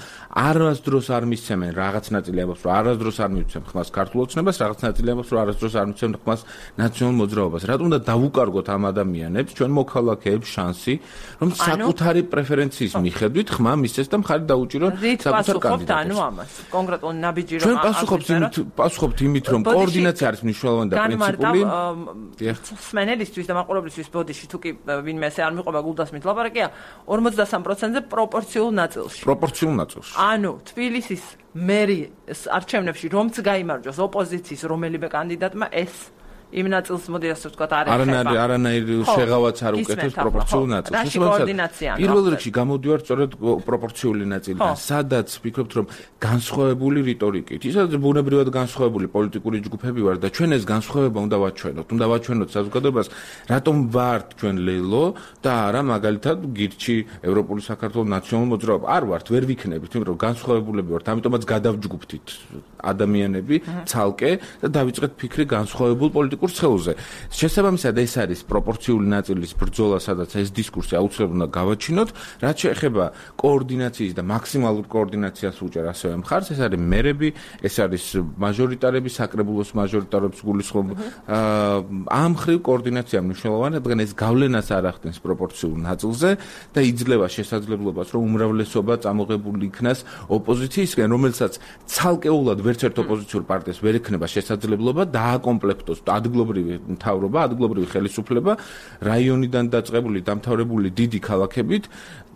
არასდროს არ მისცემენ რაღაც ნაწილი ამბობს რომ არასდროს არ მისცემენ ხმას ქართულ ოცნებას რაღაც ნაწილი ამბობს რომ არასდროს არ მისცემენ ხმას ნაციონალურ მოძრაობას რატომ უნდა დავუკარგოთ ამ ადამიანებს ჩვენ მოქალაქეებს შანსი რომ საკუთარი პრეფერენციის მიხედვით ხმა მისცეს და მხარი დაუჭირონ საკუთარ კანდიდატებს. ანუ ამას კონკრეტულ ნაბიჯი რომ ჩვენ პასუხობთ იმით პასუხობთ იმით რომ კოორდინაცია არის მნიშვნელოვანი და პრინციპული სმენელისთვის და მაყურებლისთვის ბოდიში თუ კი ვინმე ესე არ მიყვება გულდასმით ლაპარაკია ორმოცდასამი პროცენტზე პროპორციულ ნაწილში. პროპორციულ ნაწილში. ანუ თბილისის მერის არჩევნებში რომც გაიმარჯვოს ოპოზიციის რომელიმე კანდიდატმა ეს იმ ნაწილს მოდი ასე ვთქვათ არ ეხება. არანაირი არანაირი შეღავაც არ უკეთებს პროპორციულ ნაწილს. რაში კოორდინაცია? პირველ რიგში გამოდივარ სწორედ პროპორციული ნაწილიდან, სადაც ვფიქრობთ რომ განსხვავებული რიტორიკით, ისაც ბუნებრივად განსხვავებული პოლიტიკური ჯგუფები ვარ და ჩვენ ეს განსხვავება უნდა ვაჩვენოთ. უნდა ვაჩვენოთ საზოგადოებას, რატომ ვართ ჩვენ ლელო და არა მაგალითად გირჩი ევროპული საქართველოს ნაციონალური მოძრაობა. არ ვართ, ვერ ვიქნებით, იმიტომ რომ განსხვავებულები ვართ, ამიტომაც გადავჯგუფთით ადამიანები ცალკე და დავიწყეთ ფიქრი განსხვავებულ პოლიტიკურ ცხელზე. შესაბამისად ეს არის პროპორციული ნაწილის ბრძოლა, სადაც ეს დისკურსი აუცილებლად უნდა გავაჩინოთ, რაც შეეხება კოორდინაციის და მაქსიმალურ კოორდინაციას უჭერ ასევე მხარს, ეს არის მერები, ეს არის მაჟორიტარები, საკრებულოს მაჟორიტარებს გულისხმობ. ამ მხრივ კოორდინაცია მნიშვნელოვანია, რადგან ეს გავლენას არ ახდენს პროპორციულ ნაწილზე და იძლევა შესაძლებლობას, რომ უმრავლესობა წამოღებული იქნას ოპოზიციისგან, რომელსაც ცალკეულად ვერც ერთ ოპოზიციურ პარტიას ვერ ექნება შესაძლებლობა დააკომპლექტოს ადგილობრივი მთავრობა, ადგილობრივი ხელისუფლება, რაიონიდან დაწყებული, დამთავრებული დიდი ქალაქებით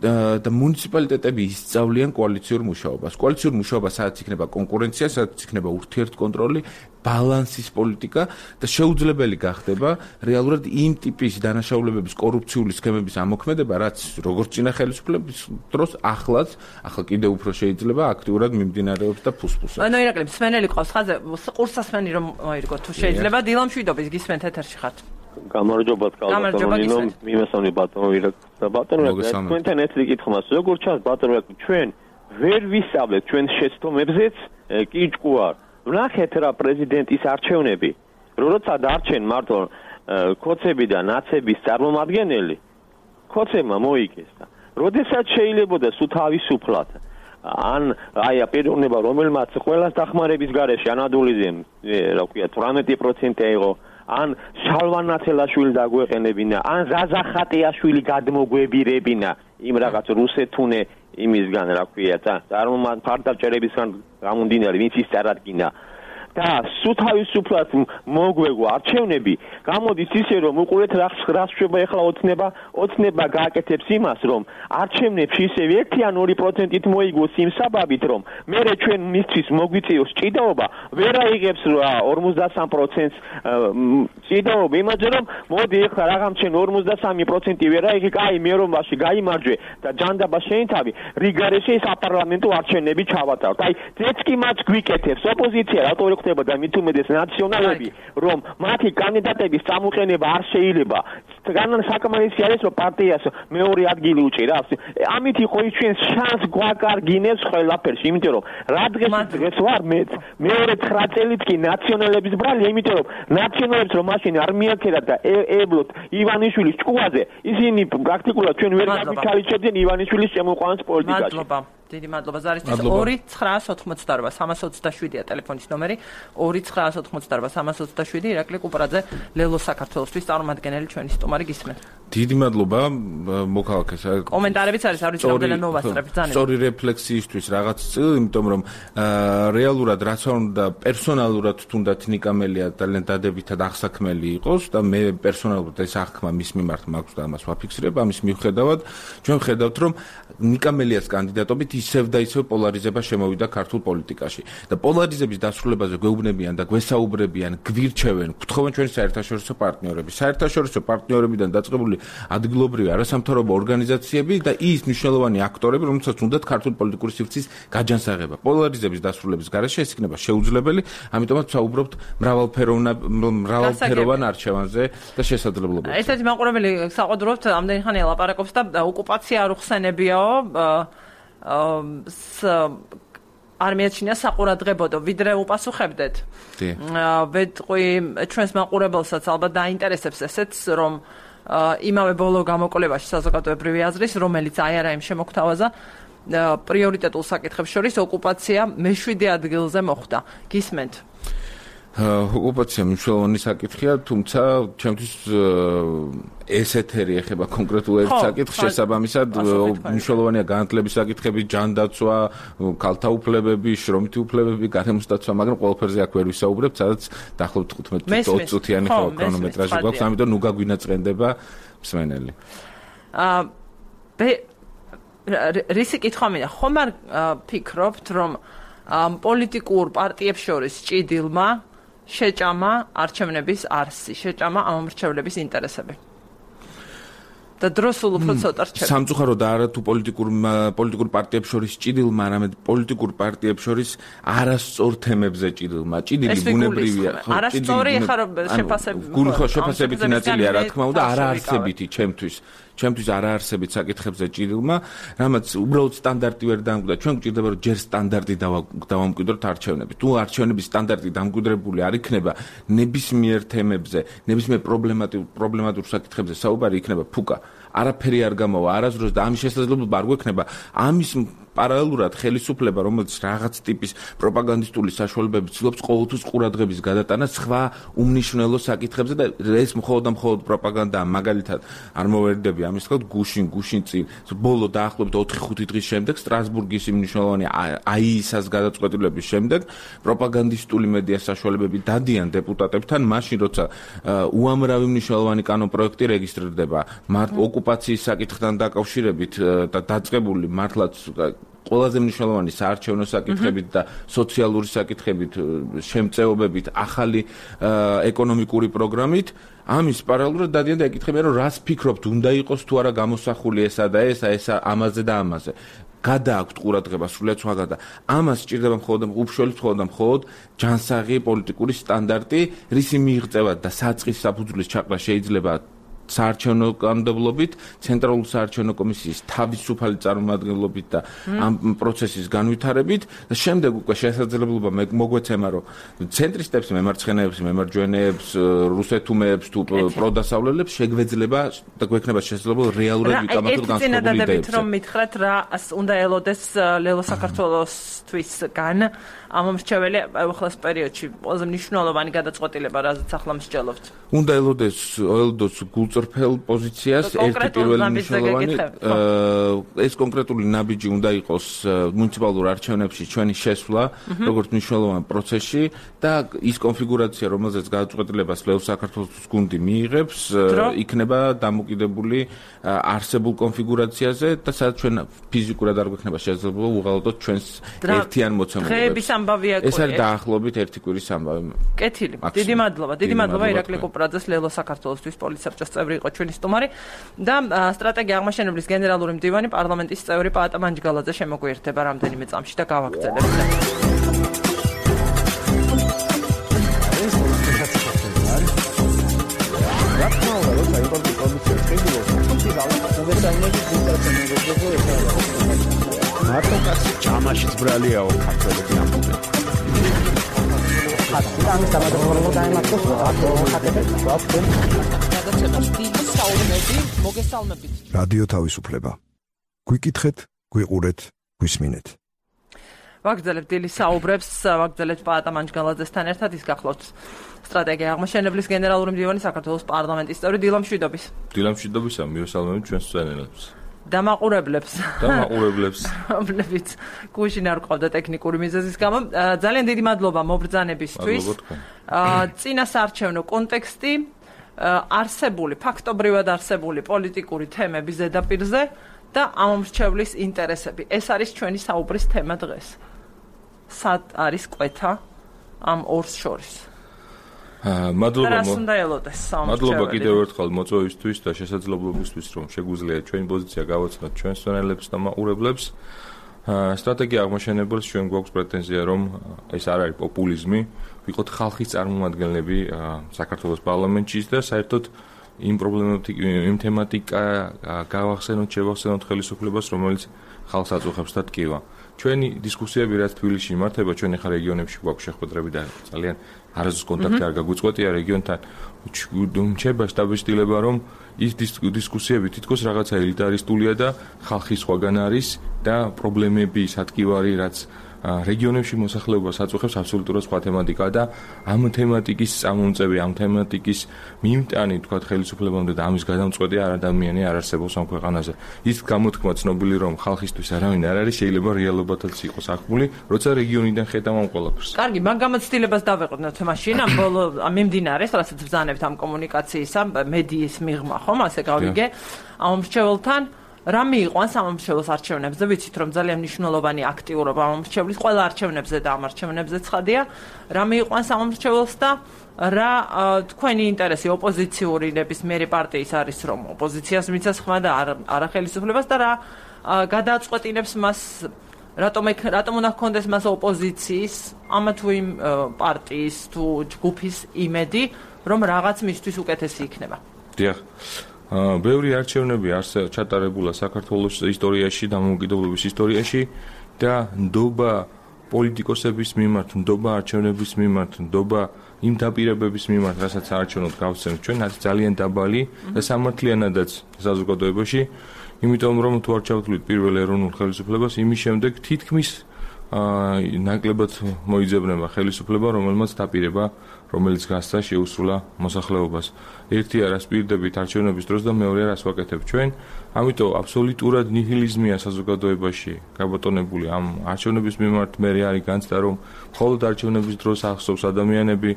და მუნიციპალიტეტები ისწავლიან კოალიციურ მუშაობას. კოალიციურ მუშაობას სადაც იქნება კონკურენცია, სადაც იქნება ურთიერთკონტროლი, ბალანსის პოლიტიკა და შეუძლებელი გახდება რეალურად იმ ტიპის დანაშაულებების კორუფციული სქემების ამოქმედება, რაც როგორც წინა ხელისუფლების დროს ახლაც, ახლა კიდევ უფრო შეიძლება აქტიურად მიმდინარეობს და ფუსფუსობს. ანუ ირაკლი, სმენელი ყავს ხაზე, ყურსასმენი რომ მოირგო თუ შეიძლება დილა მშვიდობის გისმენთ ეთერში ხართ. გამარჯობათ კალბატონო, მიმესწრებდი ბატონო ირაკლი და ბატონო თქვენთან ერთი კითხმას, როგორ ჩანს ბატონო ჩვენ ვერ ვისწავლეთ ჩვენ შეცდომებზეც კიჭკუარ. ვნახეთ რა პრეზიდენტის არჩევნები, როცა დარჩენ მარტო ქოცები და ნაცების წარმომადგენელი, ქოცებმა მოიგეს და როდესაც შეიძლებოდა სულ თავისუფლად ან აი პიროვნება რომელმაც ყველას დახმარების გარეშე ანადოლიზე რა ქვია თვრამეტი პროცენტი აიღო ან შალვან ნაცელაშვილი დაგვეყენებინა ან ზაზა ხატიაშვილი გადმოგვებირებინა იმ რაღაც რუსეთუნე იმისგან რა ქვია წარმომადგენლ ფარდაბჭერებისგან გამომდინარე ვინც ის წარადგინა და სულ თავისუფლად მოგვეგო არჩევნები, გამოდის ისე რომ უყურეთ რა რა შვება ახლა ოცნება, ოცნება გააკეთებს იმას, რომ არჩევნებში ისევ ერთი ან ორი პროცენტით მოიგოს იმ საბაბით, რომ მერე ჩვენ მისთვის მოგვიწიოს ჭიდაობა, ვერ აიღებს ორმოცდასამ პროცენტს ჭიდაობა, იმაძე რომ მოდი ახლა რაღაცენ ორმოცდასამი პროცენტი ვერ აიღე, კაი მერომაში გაიმარჯვე და ჯანდაბა შეინთავი, რიგარეში საპარლამენტო არჩევნები ჩავატაროთ. აი, ეს კი მას გვიკეთებს ოპოზიცია, რატო ვერ ხდება და მით უმეტეს ნაციონალები, რომ მათი კანდიდატების წამოყენება არ შეიძლება. განან საკმარისი არის, რომ პარტიას მეორე ადგილი უჭირავს. ამით იყო ის ჩვენ შანს გვაკარგინებს ყველაფერში, იმიტომ რომ რა დღეს დღეს ვარ მე მეორე ცხრა წელით კი ნაციონალების ბრალია, იმიტომ რომ ნაციონალებს რომ მაშინ არ მიაქერათ და ეებლოთ ივანიშვილის ჭკუაზე, ისინი პრაქტიკულად ჩვენ ვერ გამიჩალიჩებდნენ ივანიშვილის შემოყვანას პოლიტიკაში. მადლობა. დიდი მადლობა ზარისთვის. ორი ცხრაას ოთხმოცდაორვა სამას ოცდაშვიდია ტელეფონის ნომერი. ორი ცხრაას ოთხმოცდაორვა სამას ოცდაშვიდი. ირაკლი კუპრაძე, ლელო საქართველოსთვის წარმომადგენელი ჩვენი სტუმარი გისმენთ. დიდი მადლობა მოქალაქეს. კომენტარებიც არის, არ ვიცი რამდენი ნოვასწრებ ძალიან. სწორი რეფლექსიისთვის რაღაც წილი, იმიტომ რომ რეალურად რაც უნდა პერსონალურად თუნდაც ნიკამელია ძალიან დადებითად აღსაქმელი იყოს და მე პერსონალურად ეს აღქმა მის მიმართ მაქვს და ამას ვაფიქსირებ, ამის მიუხედავად ჩვენ ხედავთ რომ ნიკამელიას კანდიდატობით ისევ და ისევ პოლარიზება შემოვიდა ქართულ პოლიტიკაში და პოლარიზების დასრულებაზე გვეუბნებიან და გვესაუბრებიან, გვირჩევენ, გთხოვენ ჩვენი საერთაშორისო პარტნიორები. საერთაშორისო პარტნიორებიდან დაწყებული ადგილობრივი არასამთავრობო ორგანიზაციები და ის მნიშვნელოვანი აქტორები, რომელსაც უნდათ ქართული პოლიტიკური სივრცის გაჯანსაღება. პოლარიზების დასრულების გარეშე ეს იქნება შეუძლებელი, ამიტომაც ვსაუბრობთ მრავალფეროვნა მრავალფეროვან არჩევანზე და შესაძლებლობებზე. ერთ-ერთი მაყურებელი საყდრობთ ამდენი ხანი ელაპარაკობს და ოკუპაცია არ უხსენებიაო არ მიაჩნია საყურადღებოდო, ვიდრე უპასუხებდეთ. ვეტყვი ჩვენს მაყურებელსაც ალბათ დაინტერესებს ესეც, რომ იმავე ბოლო გამოკვლევაში საზოგადოებრივი აზრის, რომელიც აი არა იმ შემოგთავაზა, პრიორიტეტულ საკითხებს შორის ოკუპაცია მეშვიდე ადგილზე მოხვდა. გისმენთ? ოკუპაცია მნიშვნელოვანი საკითხია, თუმცა ჩემთვის ეს ეთერი ეხება კონკრეტულ ერთ საკითხს, შესაბამისად მნიშვნელოვანია განათლების საკითხები, ჯანდაცვა, ქალთა უფლებები, შრომითი უფლებები, გარემოს დაცვა, მაგრამ ყველაფერზე აქ ვერ ვისაუბრებთ, სადაც დაახლოებით თხუთმეტ ოცდაოთხ წუთიანი ქრონომეტრაჟი გვაქვს, ამიტომ ნუ გაგვინაწყენდება მსმენელი. აა რისი კითხვა მინდა, ხომ არ ფიქრობთ, რომ პოლიტიკურ პარტიებს შორის ჭიდილმა შეჭამა არჩევნების არსი, შეჭამა ამომრჩევლების ინტერესები. და დროს სულ უფრო ცოტა რჩება. სამწუხაროდ არა თუ პოლიტიკურ პოლიტიკურ პარტიებს შორის ჭიდილმა, არამედ პოლიტიკურ პარტიებს შორის არასწორ თემებზე ჭიდილმა. ჭიდილი ბუნებრივია. არასწორი ხარ შეფასებით. გულხო შეფასებითი ნაწილია, რა თქმა უნდა, არაარსებითი ჩემთვის. ჩემთვის არაარსებით საკითხებზე ჭიდილმა, რამაც უბრალოდ სტანდარტი ვერ დამკვიდრა. ჩვენ გვჭირდება რომ ჯერ სტანდარტი დავამკვიდროთ არჩევნები. თუ არჩევნების სტანდარტი დამკვიდრებული არ იქნება, ნებისმიერ თემებზე, ნებისმიერ პრობლემატურ პრობლემატურ საკითხებზე საუბარი იქნება ფუკა. არაფერი არ გამოვა, არასდროს და ამის შესაძლებლობა არ გვექნება. ამის პარალელურად ხელისუფლება, რომელიც რაღაც ტიპის პროპაგანდისტული საშუალებები ცდილობს ყოველთვის ყურადღების გადატანას სხვა უმნიშვნელო საკითხებზე და ეს მხოლოდ და მხოლოდ პროპაგანდაა. მაგალითად, არ მოვერიდები ამის თქო გუშინ, გუშინ წინ, ბოლო დაახლოებით ოთხი ხუთი დღის შემდეგ სტრასბურგის იმ მნიშვნელოვანი აიისას გადაწყვეტილების შემდეგ პროპაგანდისტული მედია საშუალებები დადიან დეპუტატებთან, მაშინ როცა უამრავი მნიშვნელოვანი კანონპროექტი რეგისტრირდება ოკუპაციის საკითხთან დაკავშირებით და დაწყებული მართლაც ყველაზე მნიშვნელოვანი საარჩევნო საკითხებით და სოციალური საკითხებით, შემწეობებით, ახალი ეკონომიკური პროგრამით, ამის პარალელურად დადიან და ეკითხებიან, რომ რას ფიქრობთ, უნდა იყოს თუ არა გამოსახული ესა და ესა, ესა ამაზე და ამაზე. გადააქვთ ყურადღება სრულიად სხვაგან და ამას სჭირდება მხოლოდ უშუალოდ მხოლოდ და მხოლოდ ჯანსაღი პოლიტიკური სტანდარტი, რისი მიღწევა და საწყის საფუძვლის ჩაყრა შეიძლება საარჩევნო კანონმდებლობით, ცენტრალური საარჩევნო კომისიის თავისუფალი წარმომადგენლობით და ამ პროცესის განვითარებით და შემდეგ უკვე შესაძლებლობა მოგვეცემა, რომ ცენტრისტებს, მემარცხენეებს, მემარჯვენეებს, რუსეთუმეებს თუ პროდასავლელებს შეგვეძლება და გვექნება შესაძლებლობა რეალურად ვიკამათოთ განსხვავებული იდეებს. რომ მითხრათ რა უნდა ელოდეს ლელო საქართველოსთვისგან ამომრჩეველი ახალ პერიოდში ყველაზე მნიშვნელოვანი გადაწყვეტილება, რაზეც ახლა მსჯელობთ. უნდა ელოდეს ელოდოს გულწრფელ პოზიციას ერთი პირველი მნიშვნელოვანი ეს კონკრეტული ნაბიჯი უნდა იყოს მუნიციპალურ არჩევნებში ჩვენი შესვლა, როგორც მნიშვნელოვანი პროცესში და ის კონფიგურაცია, რომელზეც გადაწყვეტილებას ლეოს საქართველოს გუნდი მიიღებს, იქნება დამოკიდებული არსებულ კონფიგურაციაზე და სადაც ჩვენ ფიზიკურად არ გვექნება შესაძლებლობა უღალატოთ ჩვენს ერთიან მოცემულობას. ეს არის დაახლოებით ერთი კვირის ამბავი. კეთილი. დიდი მადლობა. დიდი მადლობა ირაკლი კუპრაძეს, ლელო საქართველოსთვის პოლიცსაბჭოს წევრი იყო ჩვენი სტუმარი და სტრატეგია აღმაშენებლის გენერალური მდივანი პარლამენტის წევრი პაატა მანჯგალაძე შემოგვიერთდება რამდენიმე წამში და გავაგრძელებთ. მარტო კაცი ჯამაშიც ბრალიაო ქართველები ამბობენ. ამის დამადროულობა დაემართოს აკეთებს ვაფენ. გადაცემას დიდი საუბნები მოგესალმებით. რადიო თავისუფლება. გვიკითხეთ, გვიყურეთ, გვისმინეთ. ვაგრძელებთ დილის საუბრებს, ვაგრძელებთ პაატა მანჯგალაძესთან ერთად, ის გახლავთ სტრატეგია აღმაშენებლის გენერალური მდივანი საქართველოს პარლამენტის წევრი დილა მშვიდობის. დილა მშვიდობისა, მივესალმებით ჩვენს მსმენელებს. დამაყურებლებს. დამაყურებლებს. რომლებიც გუშინ არ ყავდა ტექნიკური მიზეზის გამო. ძალიან დიდი მადლობა მობრძანებისთვის. წინა საარჩევნო კონტექსტი, არსებული, ფაქტობრივად არსებული პოლიტიკური თემები ზედაპირზე და ამომრჩევლის ინტერესები. ეს არის ჩვენი საუბრის თემა დღეს. სად არის კვეთა ამ ორს შორის? მადლობა მადლობა კიდევ ერთხელ მოწვევისთვის და შესაძლებლობისთვის, რომ შეგვიძლია ჩვენი პოზიცია გავაცნოთ ჩვენს მსმენელებს და მაყურებლებს. სტრატეგია აღმაშენებელს ჩვენ გვაქვს პრეტენზია, რომ ეს არ არის პოპულიზმი, ვიყოთ ხალხის წარმომადგენლები საქართველოს პარლამენტში და საერთოდ იმ პრობლემებით, იმ თემატიკა გავახსენოთ, შევახსენოთ ხელისუფლებას, რომელიც ხალხს აწუხებს და ტკივა. ჩვენი დისკუსიები რაც თბილისში იმართება, ჩვენ ახლა რეგიონებში გვაქვს შეხვედრები და ძალიან არასდროს კონტაქტი არ გაგვიწყვეტია რეგიონთან. რჩება შტაბ-შტილება, რომ ის დისკუსიები თითქოს რაღაცა ელიტარისტულია და ხალხის სხვაგან არის და პრობლემები, სატკივარი, რაც რეგიონებში მოსახლეობას აწუხებს აბსოლუტურად სხვა თემატიკაა და ამ თემატიკის წამომწევი, ამ თემატიკის მიმტანი, თქვათ, ხელისუფლებამდე და ამის გადამწყვეტი არ ადამიანი არ არსებობს ამ ქვეყანაზე. ის გამოთქმა ცნობილი, რომ ხალხისთვის არავინ არ არის, შეიძლება რეალობათაც იყოს აღქმული, როცა რეგიონიდან ხედავ ამ ყველაფერს. კარგი, მაგ გამოცდილებას დავეყოთ მაშინ, ამ ბოლო მიმდინარეს, რასაც ბრძანებთ ამ კომუნიკაციისა, მედიის მიღმა, ხომ, ასე გავიგე, ამომრჩეველთან რა მიიყვანს ამომრჩეველს არჩევნებზე, ვიცით რომ ძალიან მნიშვნელოვანი აქტიურობა ამომრჩევლის ყველა არჩევნებზე და ამ არჩევნებზე ცხადია, რა მიიყვანს ამომრჩეველს და რა თქვენი ინტერესი ოპოზიციური ნებისმიერი პარტიის არის, რომ ოპოზიციას მიცეს ხმა და არა ხელისუფლებას და რა გადააწყვეტინებს მას, რატომ რატომ უნდა ჰქონდეს მას ოპოზიციის ამა თუ იმ პარტიის თუ ჯგუფის იმედი, რომ რაღაც მისთვის უკეთესი იქნება. დიახ. ბევრი არჩევნები ჩატარებულა საქართველოს ისტორიაში, დამოუკიდებლობის ისტორიაში და ნდობა პოლიტიკოსების მიმართ, ნდობა არჩევნების მიმართ, ნდობა იმ დაპირებების მიმართ, რასაც არჩევნოთ გავცემთ ჩვენ, არის ძალიან დაბალი და სამართლიანადაც საზოგადოებაში, იმიტომ რომ თუ არ ჩავთვლით პირველ ეროვნულ ხელისუფლებას, იმის შემდეგ თითქმის ნაკლებად მოიძებნება ხელისუფლება, რომელმაც დაპირება, რომელიც გასცა შეუსრულა მოსახლეობას. ერთი არას პირდებით არჩევნების დროს და მეორე არას ვაკეთებ ჩვენ. ამიტომ აბსოლუტურად ნიჰილიზმია საზოგადოებაში გაბატონებული ამ არჩევნების მიმართ. მე არის განცდა, რომ მხოლოდ არჩევნების დროს ახსოვს ადამიანები,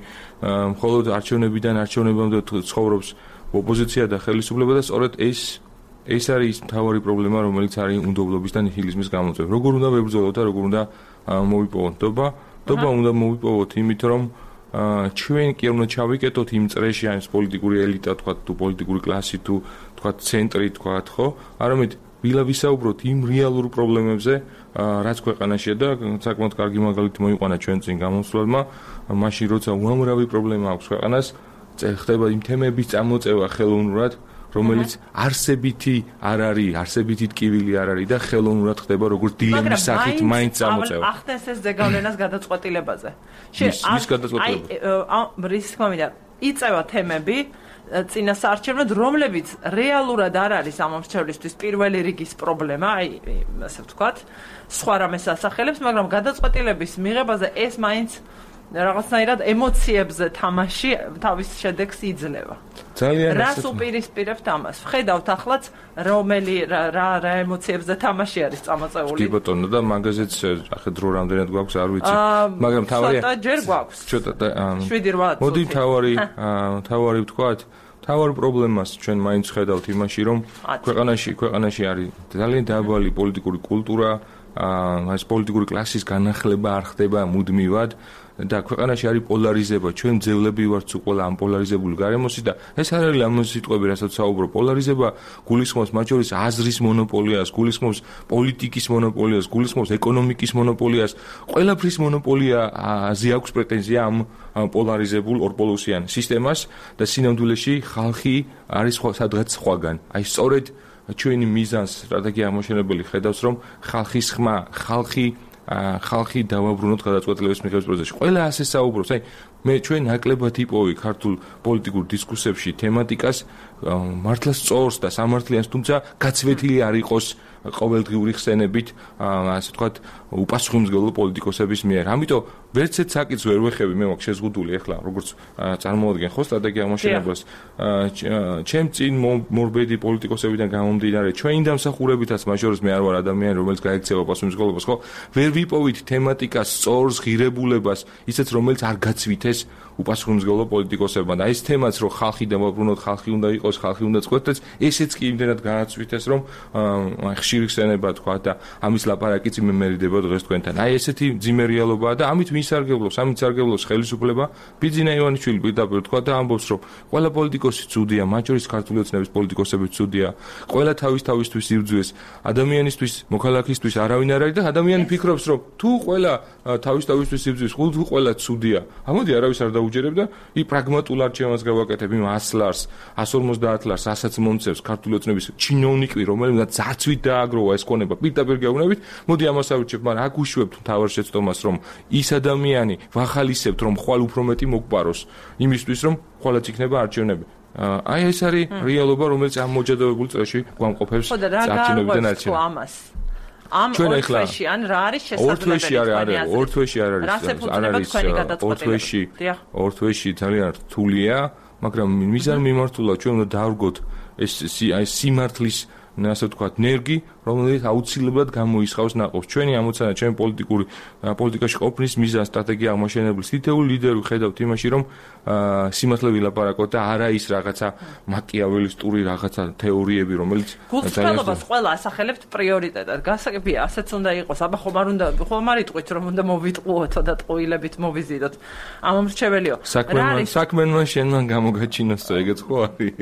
მხოლოდ არჩევნებიდან არჩევნებამდე ცხოვრობს ოპოზიცია და ხელისუფლება და სწორედ ეს ეს არის მთავარი პრობლემა, რომელიც არის უნდობლობის და ნიჰილიზმის გამოწვევა. როგორ უნდა ვებრძოლოთ და როგორ უნდა მოვიპოვოთ ნდობა? ნდობა უნდა მოვიპოვოთ იმით, რომ ჩვენ კი არ უნდა ჩავიკეტოთ იმ წრეში, ან პოლიტიკური ელიტა, თქვა თუ პოლიტიკური კლასი თუ თქვა ცენტრი, თქვა ხო? არამედ ვილა ვისაუბროთ იმ რეალურ პრობლემებზე, რაც ქვეყანაშია და საკმაოდ კარგი მაგალითი მოიყვანა ჩვენ წინ გამოსვლელმა, მაშინ როცა უამრავი პრობლემა აქვს ქვეყანას, ხდება იმ თემების წამოწევა ხელოვნურად, რომელიც არსებითი არ არის, არსებითი ტკივილი არ არის და ხელოვნურად ხდება როგორც დილემის სახით მაინც წამოწევა. ახდენს ეს ზეგავლენას გადაწყვეტილებაზე. შენ ის გადაწყვეტილება. აი, რის თქმა უნდა, იწევა თემები წინასაარჩევნოდ, რომლებიც რეალურად არ არის ამ მრჩევლისთვის პირველი რიგის პრობლემა, აი, ასე ვთქვათ, სხვა რამეს ასახელებს, მაგრამ გადაწყვეტილების მიღებაზე ეს მაინც რაღაცნაირად ემოციებზე თამაში თავის შედეგს იძლევა. ძალიან რას უპირისპირებთ ამას? ვხედავთ ახლაც რომელი რა რა ემოციებზე თამაში არის წამოწეული. კი ბატონო და მაგაზეც ახლა დრო რამდენად გვაქვს არ ვიცი, მაგრამ თავარია ცოტა ჯერ გვაქვს. ცოტა შვიდი რვა მოდი თავარი თავარი ვთქვათ თავარ პრობლემას ჩვენ მაინც ხედავთ იმაში, რომ ქვეყანაში ქვეყანაში არის ძალიან დაბალი პოლიტიკური კულტურა, ეს პოლიტიკური კლასის განახლება არ ხდება მუდმივად და ქვეყანაში არის პოლარიზება, ჩვენ ძევლები ვართ უყოლა ამ პოლარიზებული გარემოსი და ეს არ არის ამ სიტყვები, რასაც საუბრობ. პოლარიზება გულისხმობს მათ შორის აზრის მონოპოლიას, გულისხმობს პოლიტიკის მონოპოლიას, გულისხმობს ეკონომიკის მონოპოლიას, ყველაფრის მონოპოლიაზე აქვს პრეტენზია ამ პოლარიზებულ ორპოლუსიან სისტემას და სინამდვილეში ხალხი არის სადღაც სხვაგან. აი სწორედ ჩვენი მიზანს სტრატეგია აღმოჩენებელი ხედავს, რომ ხალხის ხმა, ხალხი ხალხი დავაბრუნოთ გადაწყვეტილების მიღების პროცესში. ყველა ასე საუბრობს, აი მე ჩვენ ნაკლებად იპოვი ქართულ პოლიტიკურ დისკუსიებში თემატიკას მართლა სწორს და სამართლიანს, თუმცა გაცვეთილი არ იყოს ყოველდღიური ხსენებით, ასე ვთქვათ, უპასუხისმგებლო პოლიტიკოსების მიერ. ამიტომ ვერცეთ საკითხს ვერ ვეხები, მე მაქვს შეზღუდული ახლა, როგორც წარმოვადგენ ხო სტრატეგია აღმოჩენებას. ჩემ წინ მორბედი პოლიტიკოსებიდან გამომდინარე, ჩვენი დამსახურებითაც მათ შორის მე არ ვარ ადამიანი, რომელიც გაექცევა პასუხისმგებლობას, ხო? ვერ ვიპოვით თემატიკას, სწორს, ღირებულებას, ისეც რომელიც არ გაცვითეს უპასუხისმგებლო პოლიტიკოსებმა. და ეს თემაც რომ ხალხი დავაბრუნოთ, ხალხი უნდა იყოს, ხალხი უნდა წყვეტდეს, ესეც კი იმდენად გააცვითეს, რომ ხშირი ხსენება თქვა და ამის ლაპარაკიც იმემერიდება დღეს თქვენთან. აი ესეთი ძიმე რეალობაა და ამით მისარგებლობს, ამით სარგებლობს ხელისუფლება. ბიძინა ივანიშვილი პირდაპირ თქვა და ამბობს, რომ ყველა პოლიტიკოსი ცუდია, მათ შორის ქართული ოცნების პოლიტიკოსები ცუდია. ყველა თავის თავისთვის იბრძვის, ადამიანისთვის, მოქალაქისთვის არავინ არ არის და ადამიანი ფიქრობს, რომ თუ ყველა თავის თავისთვის იბრძვის, თუ ყველა ცუდია. ამოდი არავის არ დაუჯერებ და ი პრაგმატულ არჩევანს გავაკეთებ იმ ას ლარს, ას ორმოცდაათ ლარს, ასაც მომწევს ქართული ოცნების ჩინოვნიკი, რომელმაც ზაცვით დააგროვა ეს ქონება პირდაპირ გეუბნებით, მოდი ამას ავირჩევ, მაგრამ აქ უშვებთ თავარ შეცდომას, რომ ის ადამიანი ვახალისებთ, რომ ხვალ უფრო მეტი მოგპაროს, იმისთვის, რომ ხვალაც იქნება არჩევნები. აი ეს არის რეალობა, რომელიც ამ მოჯადოებულ წრეში გვამყოფებს არჩევნებიდან არჩევნებს. ამ ორთვეში ან რა არის შესაძლებელი? ორთვეში არ არის, ორთვეში არ არის. არ არის ორთვეში. ორთვეში ძალიან რთულია, მაგრამ მიზან მიმართულა ჩვენ უნდა დავრგოთ ეს აი სიმართლის ასე ვთქვათ, ნერგი, რომელიც აუცილებლად გამოისხავს ნაყოფს. ჩვენი ამოცანა, ჩვენ პოლიტიკური პოლიტიკაში ყოფნის მიზანს სტრატეგია აღმოჩენებლის თითოეული ლიდერი ხედავთ იმაში, რომ სიმართლე ვილაპარაკოთ და არა ის რაღაცა მაკიაველისტური რაღაცა თეორიები, რომელიც გულწრფელობას ყველა ასახელებთ პრიორიტეტად. გასაგებია, ასეც უნდა იყოს. აბა ხომ არ უნდა, ხომ არ იტყვით, რომ უნდა მოვიტყუოთო და ტყუილებით მოვიზიდოთ. ამომრჩეველიო. საქმე საქმენმა შენმან გამოგაჩინოს, ეგეც ხო არის?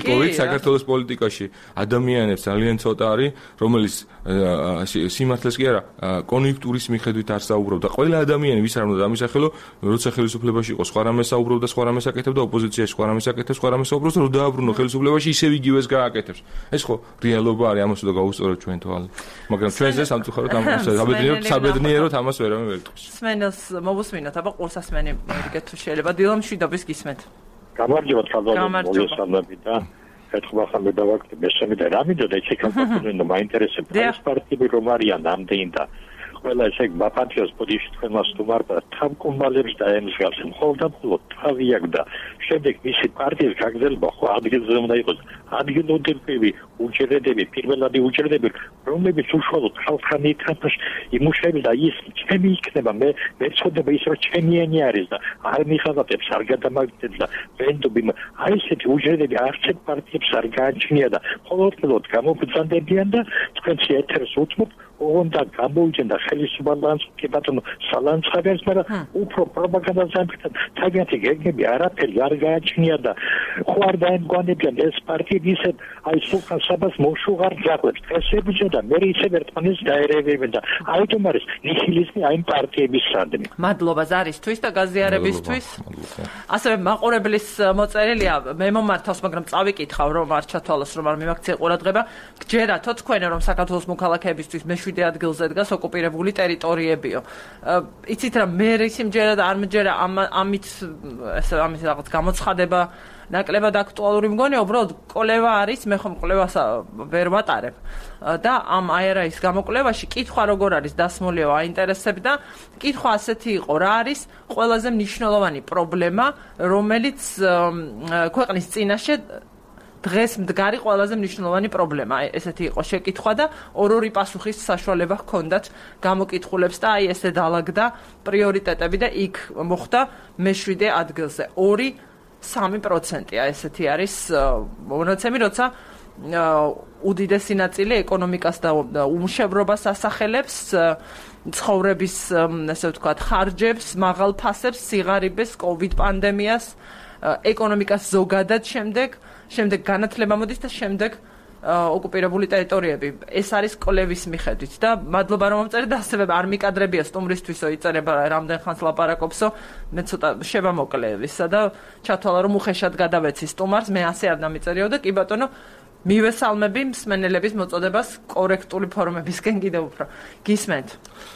იპოვეთ საქართველოს პოლიტიკაში ადამიანებს ძალიან ცოტა არის, რომელიც სიმართლეს კი არა, კონიუნქტურის მიხედვით არ საუბრობდა. ყველა ადამიანი ვის არ უნდა დამისახელო, როცა ხელისუფლებაში იყო სხვა რამეს საუბრობდა, სხვა რამეს აკეთებდა, ოპოზიციაში სხვა რამეს აკეთებს, სხვა რამეს საუბრობს, რომ დააბრუნო ხელისუფლებაში ისევ იგივეს გააკეთებს. ეს ხო რეალობა არის, ამას უნდა გავუსწოროთ ჩვენ თვალ. მაგრამ ჩვენზე სამწუხაროდ ამ საბედნიეროდ საბედნიეროდ ამას ვერავინ ვერ თქვის. სმენელს მოვუსმინოთ, აბა ყურსასმენი მერიგეთ თუ შეიძლება დილამ შვიდობის გისმენთ. გამარჯობა თავდადებული მოგესალმები და ერთხელ ახლა დავაკეთე მესამე და რა მინდოდა ეს ეკონომიკურად მაინტერესებს ეს პარტიები რომ არიან ამდენი და ყველა ესე ბაპანჩოს პოზიციაში თქვენ მას თუმარდა თავკომბალებს და ემსგავს მხოლოდ და მხოლოდ თავი აქვს და შემდეგ მისი პარტიის გაგრძელება ხო ადგილზე უნდა იყოს ადგილობრივი უჯრედები პირველადი უჯრედები რომლებიც უშუალოდ ხალხთან ერთად იმუშავებს და ის ჩემი იქნება მე მე წოდება ის რომ ჩემიანი არის და არ მიხაზატებს არ გადამაგდებს და ვენდობი აი ესეთი უჯრედები არცეთ პარტიებს არ გააჩნია და მხოლოდ მხოლოდ გამოგზანდებიან და თქვენს ეთერს უთმობ უნდა გამოიჩენდა ხელისუფლებას კი ბატონო სალანცხებას, მაგრამ უფრო პროპაგანდას ამბობენ, თავიანთი გეგმები არაფერი არ გააჩნია და ხო არ დაემგვანებიან ეს პარტიები ისე აი სულხან საბას მოშუღარ ძაღლებს. ეს ებიჯა და მე ისე ერთმანეთს დაერევებენ და აიტომ არის ნიჰილიზმი აი პარტიების სადმი. მადლობა ზარისთვის და გაზიარებისთვის. ასევე მაყურებლის მოწერილია მე მომართავს, მაგრამ წავიკითხავ რომ არ ჩათვალოს რომ არ მიმაქცია ყურადღება. გჯერათო თქვენ რომ საქართველოს მოქალაქეებისთვის მეშვიდე ადგილზე დგას ოკუპირებული ტერიტორიებიო. იცით რა მე სიმჯერა და არ მჯერა ამით ესე ამის რაღაც გამოცხადება ნაკლებად აქტუალური მგონია, უბრალოდ კოლევა არის, მე ხომ კოლევას ვერ ვატარებ. და ამ აი არა ის გამოკვლევაში კითხვა როგორ არის დასმული აინტერესებს და კითხვა ასეთი იყო, რა არის ყველაზე მნიშვნელოვანი პრობლემა, რომელიც ქვეყნის წინაშე დღეს მდგარი ყველაზე მნიშვნელოვანი პრობლემა. ესეთი იყო შეკითხვა და ორ-ორი პასუხის საშუალება ჰქონდათ გამოკითხულებს და აი ესე დაალაგდა პრიორიტეტები და იქ მოხდა მეშვიდე ადგილზე. ორი სამი პროცენტია ესეთი არის მონაცემი, როცა უდიდესი ნაწილი ეკონომიკას და უმშევრობას ასახელებს, ცხოვრების ესე ვთქვათ ხარჯებს, მაღალ ფასებს, სიღარიბეს, კოვიდ პანდემიას, ეკონომიკას ზოგადად შემდეგ, შემდეგ განათლება მოდის და შემდეგ ოკუპირებული ტერიტორიები. ეს არის კოლევის მიხედვით და მადლობა რომ მომწერეთ და ასევე არ მიკადრებია სტუმრისთვისო იწერება რამდენ ხანს ლაპარაკობსო, მე ცოტა შევამოკლევისა და ჩათვალა რომ უხეშად გადავეცი სტუმარს, მე ასე არ დამიწერიო და კი ბატონო მივესალმები მსმენელების მოწოდებას კორექტული ფორმებისკენ კიდევ უფრო. გისმენთ.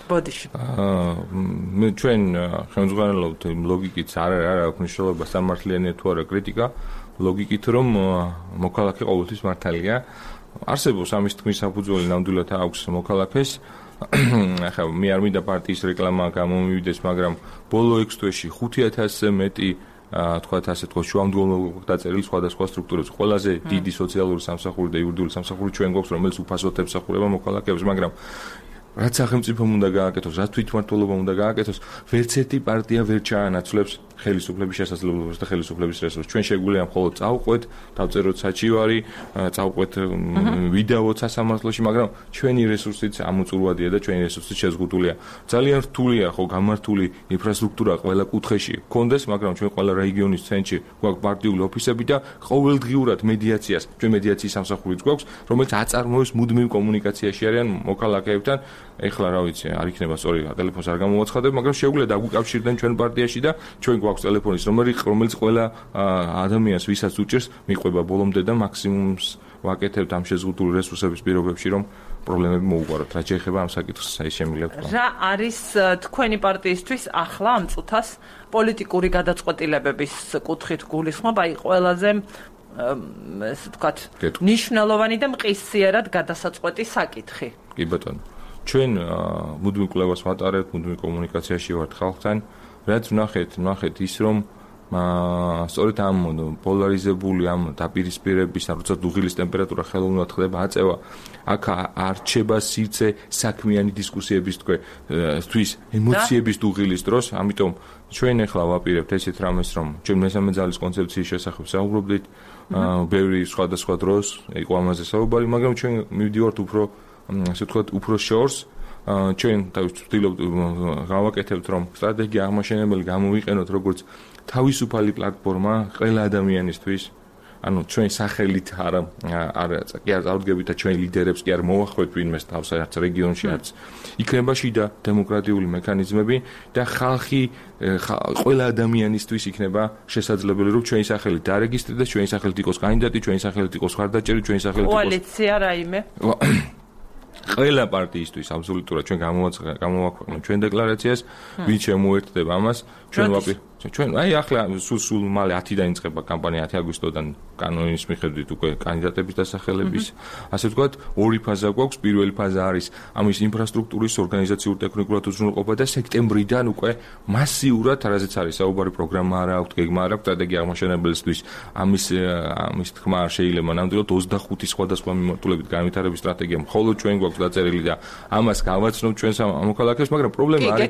ბოდიში. აა მე ჩვენ ხელმძღვანელობთ ლოგიკით არ არ აქვს მნიშვნელობა სამართლიანი თუ არა კრიტიკა. ლოგიკით რომ მოქალაქე ყოველთვის მართალია. არსებობს ამის თქმის საფუძველი ნამდვილად აქვს მოქალაქეს. ახლა მე არ მინდა პარტიის რეკლამა გამომივიდეს, მაგრამ ბოლო ექვს თვეში ხუთი ათასზე მეტი თქვათ ასე თქვა შუამდგომლობა დაწერილი სხვადასხვა სტრუქტურებს. ყველაზე დიდი სოციალური სამსახური და იურიდიული სამსახური ჩვენ გვაქვს, რომელიც უფასოდ ემსახურება მოქალაქეებს, მაგრამ რაც სახელმწიფომ უნდა გააკეთოს, რაც თვითმმართველობამ უნდა გააკეთოს, ვერც ერთი პარტია ვერ ჩაანაცვლებს ხელისუფლების შესაძლებლობას და ხელისუფლების რესურსს. ჩვენ შეგვიძლია მხოლოდ წავყვეთ, დავწეროთ საჩივარი, წავყვეთ ვიდეოც სასამართლოში, მაგრამ ჩვენი რესურსიც ამოწურვადია და ჩვენი რესურსიც შეზღუდულია. ძალიან რთულია ხო გამართული ინფრასტრუქტურა ყველა კუთხეში გქონდეს, მაგრამ ჩვენ ყველა რეგიონის ცენტრში გვაქვს პარტიული ოფისები და ყოველდღიურად მედიაციას, ჩვენ მედიაციის სამსახურიც გვაქვს, რომელიც აწარმოებს მუდმივ კომუნიკაციაში არიან მოქალაქეებთან. ეხლა რა ვიცი, არ იქნება სწორი ტელეფონს არ გამოვაცხადებ, მაგრამ შეგვიძლია დაგვიკავშირდნენ ჩვენ პარტიაში და ჩვენ გვაქვს ტელეფონის ნომერი, რომელიც ყველა ადამიანს, ვისაც უჭირს, მიყვება ბოლომდე და მაქსიმუმს ვაკეთებთ ამ შეზღუდული რესურსების პირობებში, რომ პრობლემები მოუგვაროთ. რა შეიძლება ამ საკითხს აი შემიძლია თქვა. რა არის თქვენი პარტიისთვის ახლა ამ წუთას პოლიტიკური გადაწყვეტილებების კუთხით გულისხმობ, აი ყველაზე ესე ვთქვათ, ნიშნულოვანი და მყისიერად გადასაწყვეტი საკითხი. კი ბატონო. ჩვენ მუდმივ კვლევას ვატარებთ, მუდმივ კომუნიკაციაში ვართ ხალხთან, რაც ვნახეთ, ვნახეთ ის რომ სწორედ ამ პოლარიზებული ამ დაპირისპირების, როცა დუღილის ტემპერატურა ხელოვნურად ხდება აწევა, აქ არ რჩება სივრცე საქმიანი დისკუსიების თვის, ემოციების დუღილის დროს, ამიტომ ჩვენ ახლა ვაპირებთ ესეთ რამეს, რომ ჩვენ მესამე ძალის კონცეფციის შესახებ საუბრობდით, ბევრი სხვადასხვა დროს იყო ამაზე საუბარი, მაგრამ ჩვენ მივდივართ უფრო ასე ვთქვათ, უფრო შორს, ჩვენ ვცდილობთ გავაკეთებთ, რომ სტრატეგია აღმაშენებელი გამოვიყენოთ როგორც თავისუფალი პლატფორმა ყველა ადამიანისთვის. ანუ ჩვენ სახელით არა არა კი არ წავდგებით და ჩვენ ლიდერებს კი არ მოვახვევთ ვინმეს თავს არც რეგიონში არც. იქნება შიდა დემოკრატიული მექანიზმები და ხალხი ყველა ადამიანისთვის იქნება შესაძლებელი რომ ჩვენი სახელით დარეგისტრირდეს, ჩვენი სახელით იყოს კანდიდატი, ჩვენი სახელით იყოს ხარდაჭერი, ჩვენი სახელით იყოს კოალიცია რაიმე. ყველა პარტიისთვის აბსოლუტურად ჩვენ გამოვაქვეყნოთ ჩვენ დეკლარაციას, ვინ შემოერთდება ამას, ჩვენ ვაპირებთ ჩვენ აი ახლა სულ სულ მალე ათიდან იწყება კამპანია, ათი აგვისტოდან კანონის მიხედვით უკვე კანდიდატების დასახელების, ასე ვთქვათ, ორი ფაზა გვაქვს. პირველი ფაზა არის ამის ინფრასტრუქტურის ორგანიზაციურ ტექნიკურად უზრუნველყოფა და სექტემბრიდან უკვე მასიურად, რაზეც არის საუბარი, პროგრამა არა აქვს, გეგმა არა აქვს, სტრატეგია აღმაშენებელისთვის ამის ამის თქმა არ შეიძლება ნამდვილად ოცდახუთი სხვადასხვა მიმართულებით განვითარების სტრატეგია მხოლოდ ჩვენ გვაქვს დაწერილი და ამას გავაცნობთ ჩვენ მოქალაქეებს, მაგრამ პრობლემა არის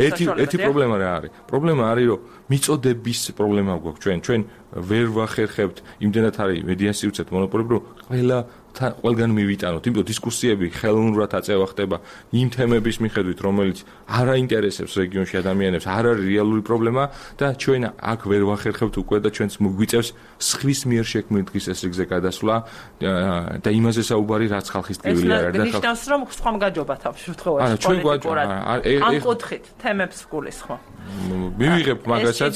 ერთი ერთი პრობლემა რა არის? პრობლემა არის რომ მიწოდების პრობლემა გვაქვს ჩვენ ჩვენ ვერ ვახერხებთ იმდენად არის მედიაციურცეთ მონოპოლები რომ ყველა ყველგან მივიტანოთ, იმიტომ დისკუსიები ხელოვნურად აწევა ხდება იმ თემების მიხედვით, რომელიც არ აინტერესებს რეგიონში ადამიანებს, არ არის რეალური პრობლემა და ჩვენ აქ ვერ ვახერხებთ უკვე და ჩვენც მოგვიწევს სხვის მიერ შექმნილ დღის ესრიგზე გადასვლა და იმაზე საუბარი, რაც ხალხის ტკივილი არ არის და ნიშნავს რომ სხვამ გაჯობათ ამ შემთხვევაში პოლიტიკურად. ამ კუთხით თემებს გულისხმობ. მივიღებ მაგასაც,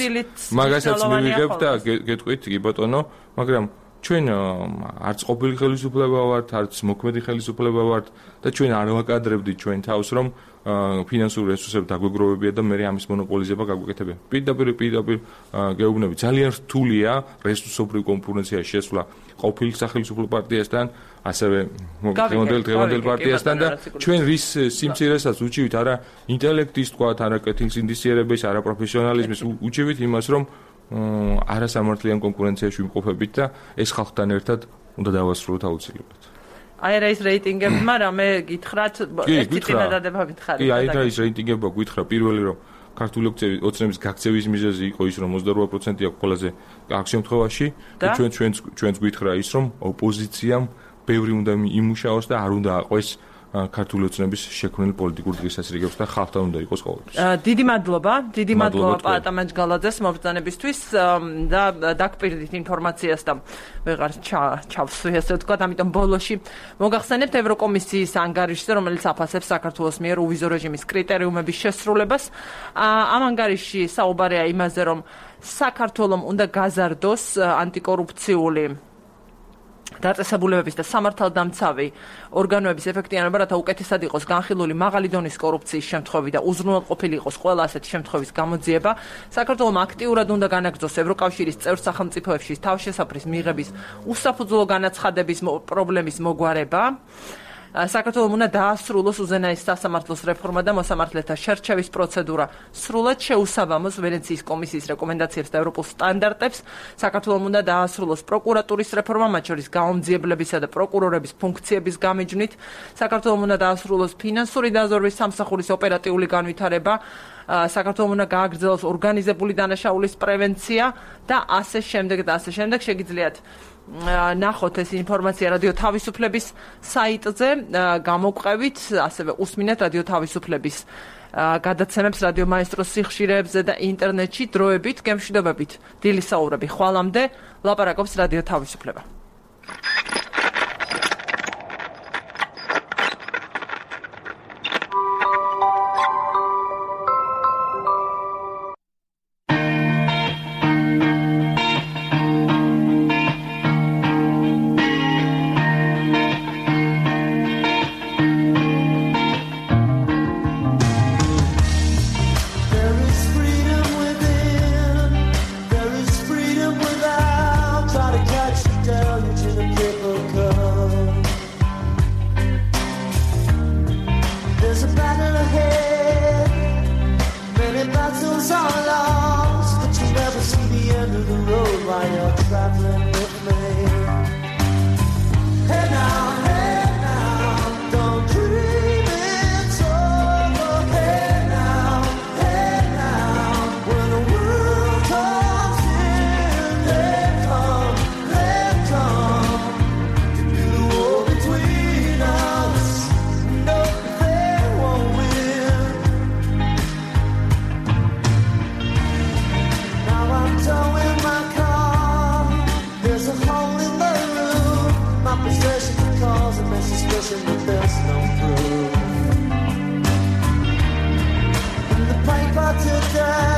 მაგასაც მივიღებ და გეტყვით კი ბატონო, მაგრამ ჩვენ არც ყოფილი ხელისუფლება ვართ, არც მოქმედი ხელისუფლება ვართ და ჩვენ არ ვაკადრებდით ჩვენ თავს, რომ ფინანსური რესურსები დაგვეგროვებია და მე ამის მონოპოლიზება გაგვეკეთებია. პირდაპირ პირდაპირ გეუბნები, ძალიან რთულია რესურსობრივ კონკურენციაში შესვლა ყოფილი სახელმწიფო პარტიასთან, ასევე დღევანდელ დღევანდელ პარტიასთან და ჩვენ რის სიმცირესაც უჩივით არა ინტელექტის თქვა, არა კეთილ სინდისიერების, არა პროფესიონალიზმის, უჩივით იმას, რომ არასამართლიან კონკურენციაში ვიმყოფებით და ეს ხალხთან ერთად უნდა დავასრულოთ აუცილებლად. აი რა ის რეიტინგებმა რამე გითხრათ, ერთი წინადადება გითხარით. კი, აი რა ის რეიტინგებმა გითხრა პირველი რომ ქართული ოცნების გაქცევის მიზეზი იყო ის რომ ოცდაოთხ პროცენტი აქვს ყველაზე აქ შემთხვევაში და ჩვენ ჩვენც ჩვენც გითხრა ის რომ ოპოზიციამ ბევრი უნდა იმუშაოს და არ უნდა აყვეს ქართული ოცნების შექმნილი პოლიტიკური დღესასრიგებს და ხალხთან უნდა იყოს ყოველთვის. დიდი მადლობა, დიდი მადლობა პაატა მაჯგალაძეს მობრძანებისთვის და დაგპირდით ინფორმაციას და ვეღარ ჩავსვი ასე ვთქვათ, ამიტომ ბოლოში მოგახსენებთ ევროკომისიის ანგარიშზე, რომელიც აფასებს საქართველოს მიერ უვიზო რეჟიმის კრიტერიუმების შესრულებას. ამ ანგარიშში საუბარია იმაზე, რომ საქართველოს უნდა გაზარდოს ანტიკორუფციული დაწესებულებების და სამართალდამცავი ორგანოების ეფექტიანობა, რათა უკეთესად იყოს განხილული მაღალი დონის კორუფციის შემთხვევები და უზრუნველყოფილი იყოს ყველა ასეთი შემთხვევის გამოძიება. საქართველოს აქტიურად უნდა განაგრძოს ევროკავშირის წევრ სახელმწიფოებში თავშესაფრის მიღების უსაფუძვლო განაცხადების პრობლემის მოგვარება. საქართველოს უნდა დაასრულოს უზენაეს სასამართლოს რეფორმა და მოსამართლეთა შერჩევის პროცედურა. სრულად შეუსაბამოს ვენეციის კომისიის რეკომენდაციებს და ევროპულ სტანდარტებს. საქართველოს უნდა დაასრულოს პროკურატურის რეფორმა, მათ შორის გაუმძიებლებისა და პროკურორების ფუნქციების გამიჯვნით. საქართველოს უნდა დაასრულოს ფინანსური დაზვერვის სამსახურის ოპერატიული განვითარება. საქართველოს უნდა გააგრძელოს ორგანიზებული დანაშაულის პრევენცია და ასე შემდეგ და ასე შემდეგ. შეგიძლიათ ნახოთ ეს ინფორმაცია რადიო თავისუფლების საიტზე, გამოგვყევით, ასევე უსმინეთ რადიო თავისუფლების გადაცემებს რადიო მაესტროს სიხშირეებზე და ინტერნეტში დროებით, გემშვიდობებით. დილის საუბრები ხვალამდე ლაპარაკობს რადიო თავისუფლება. Today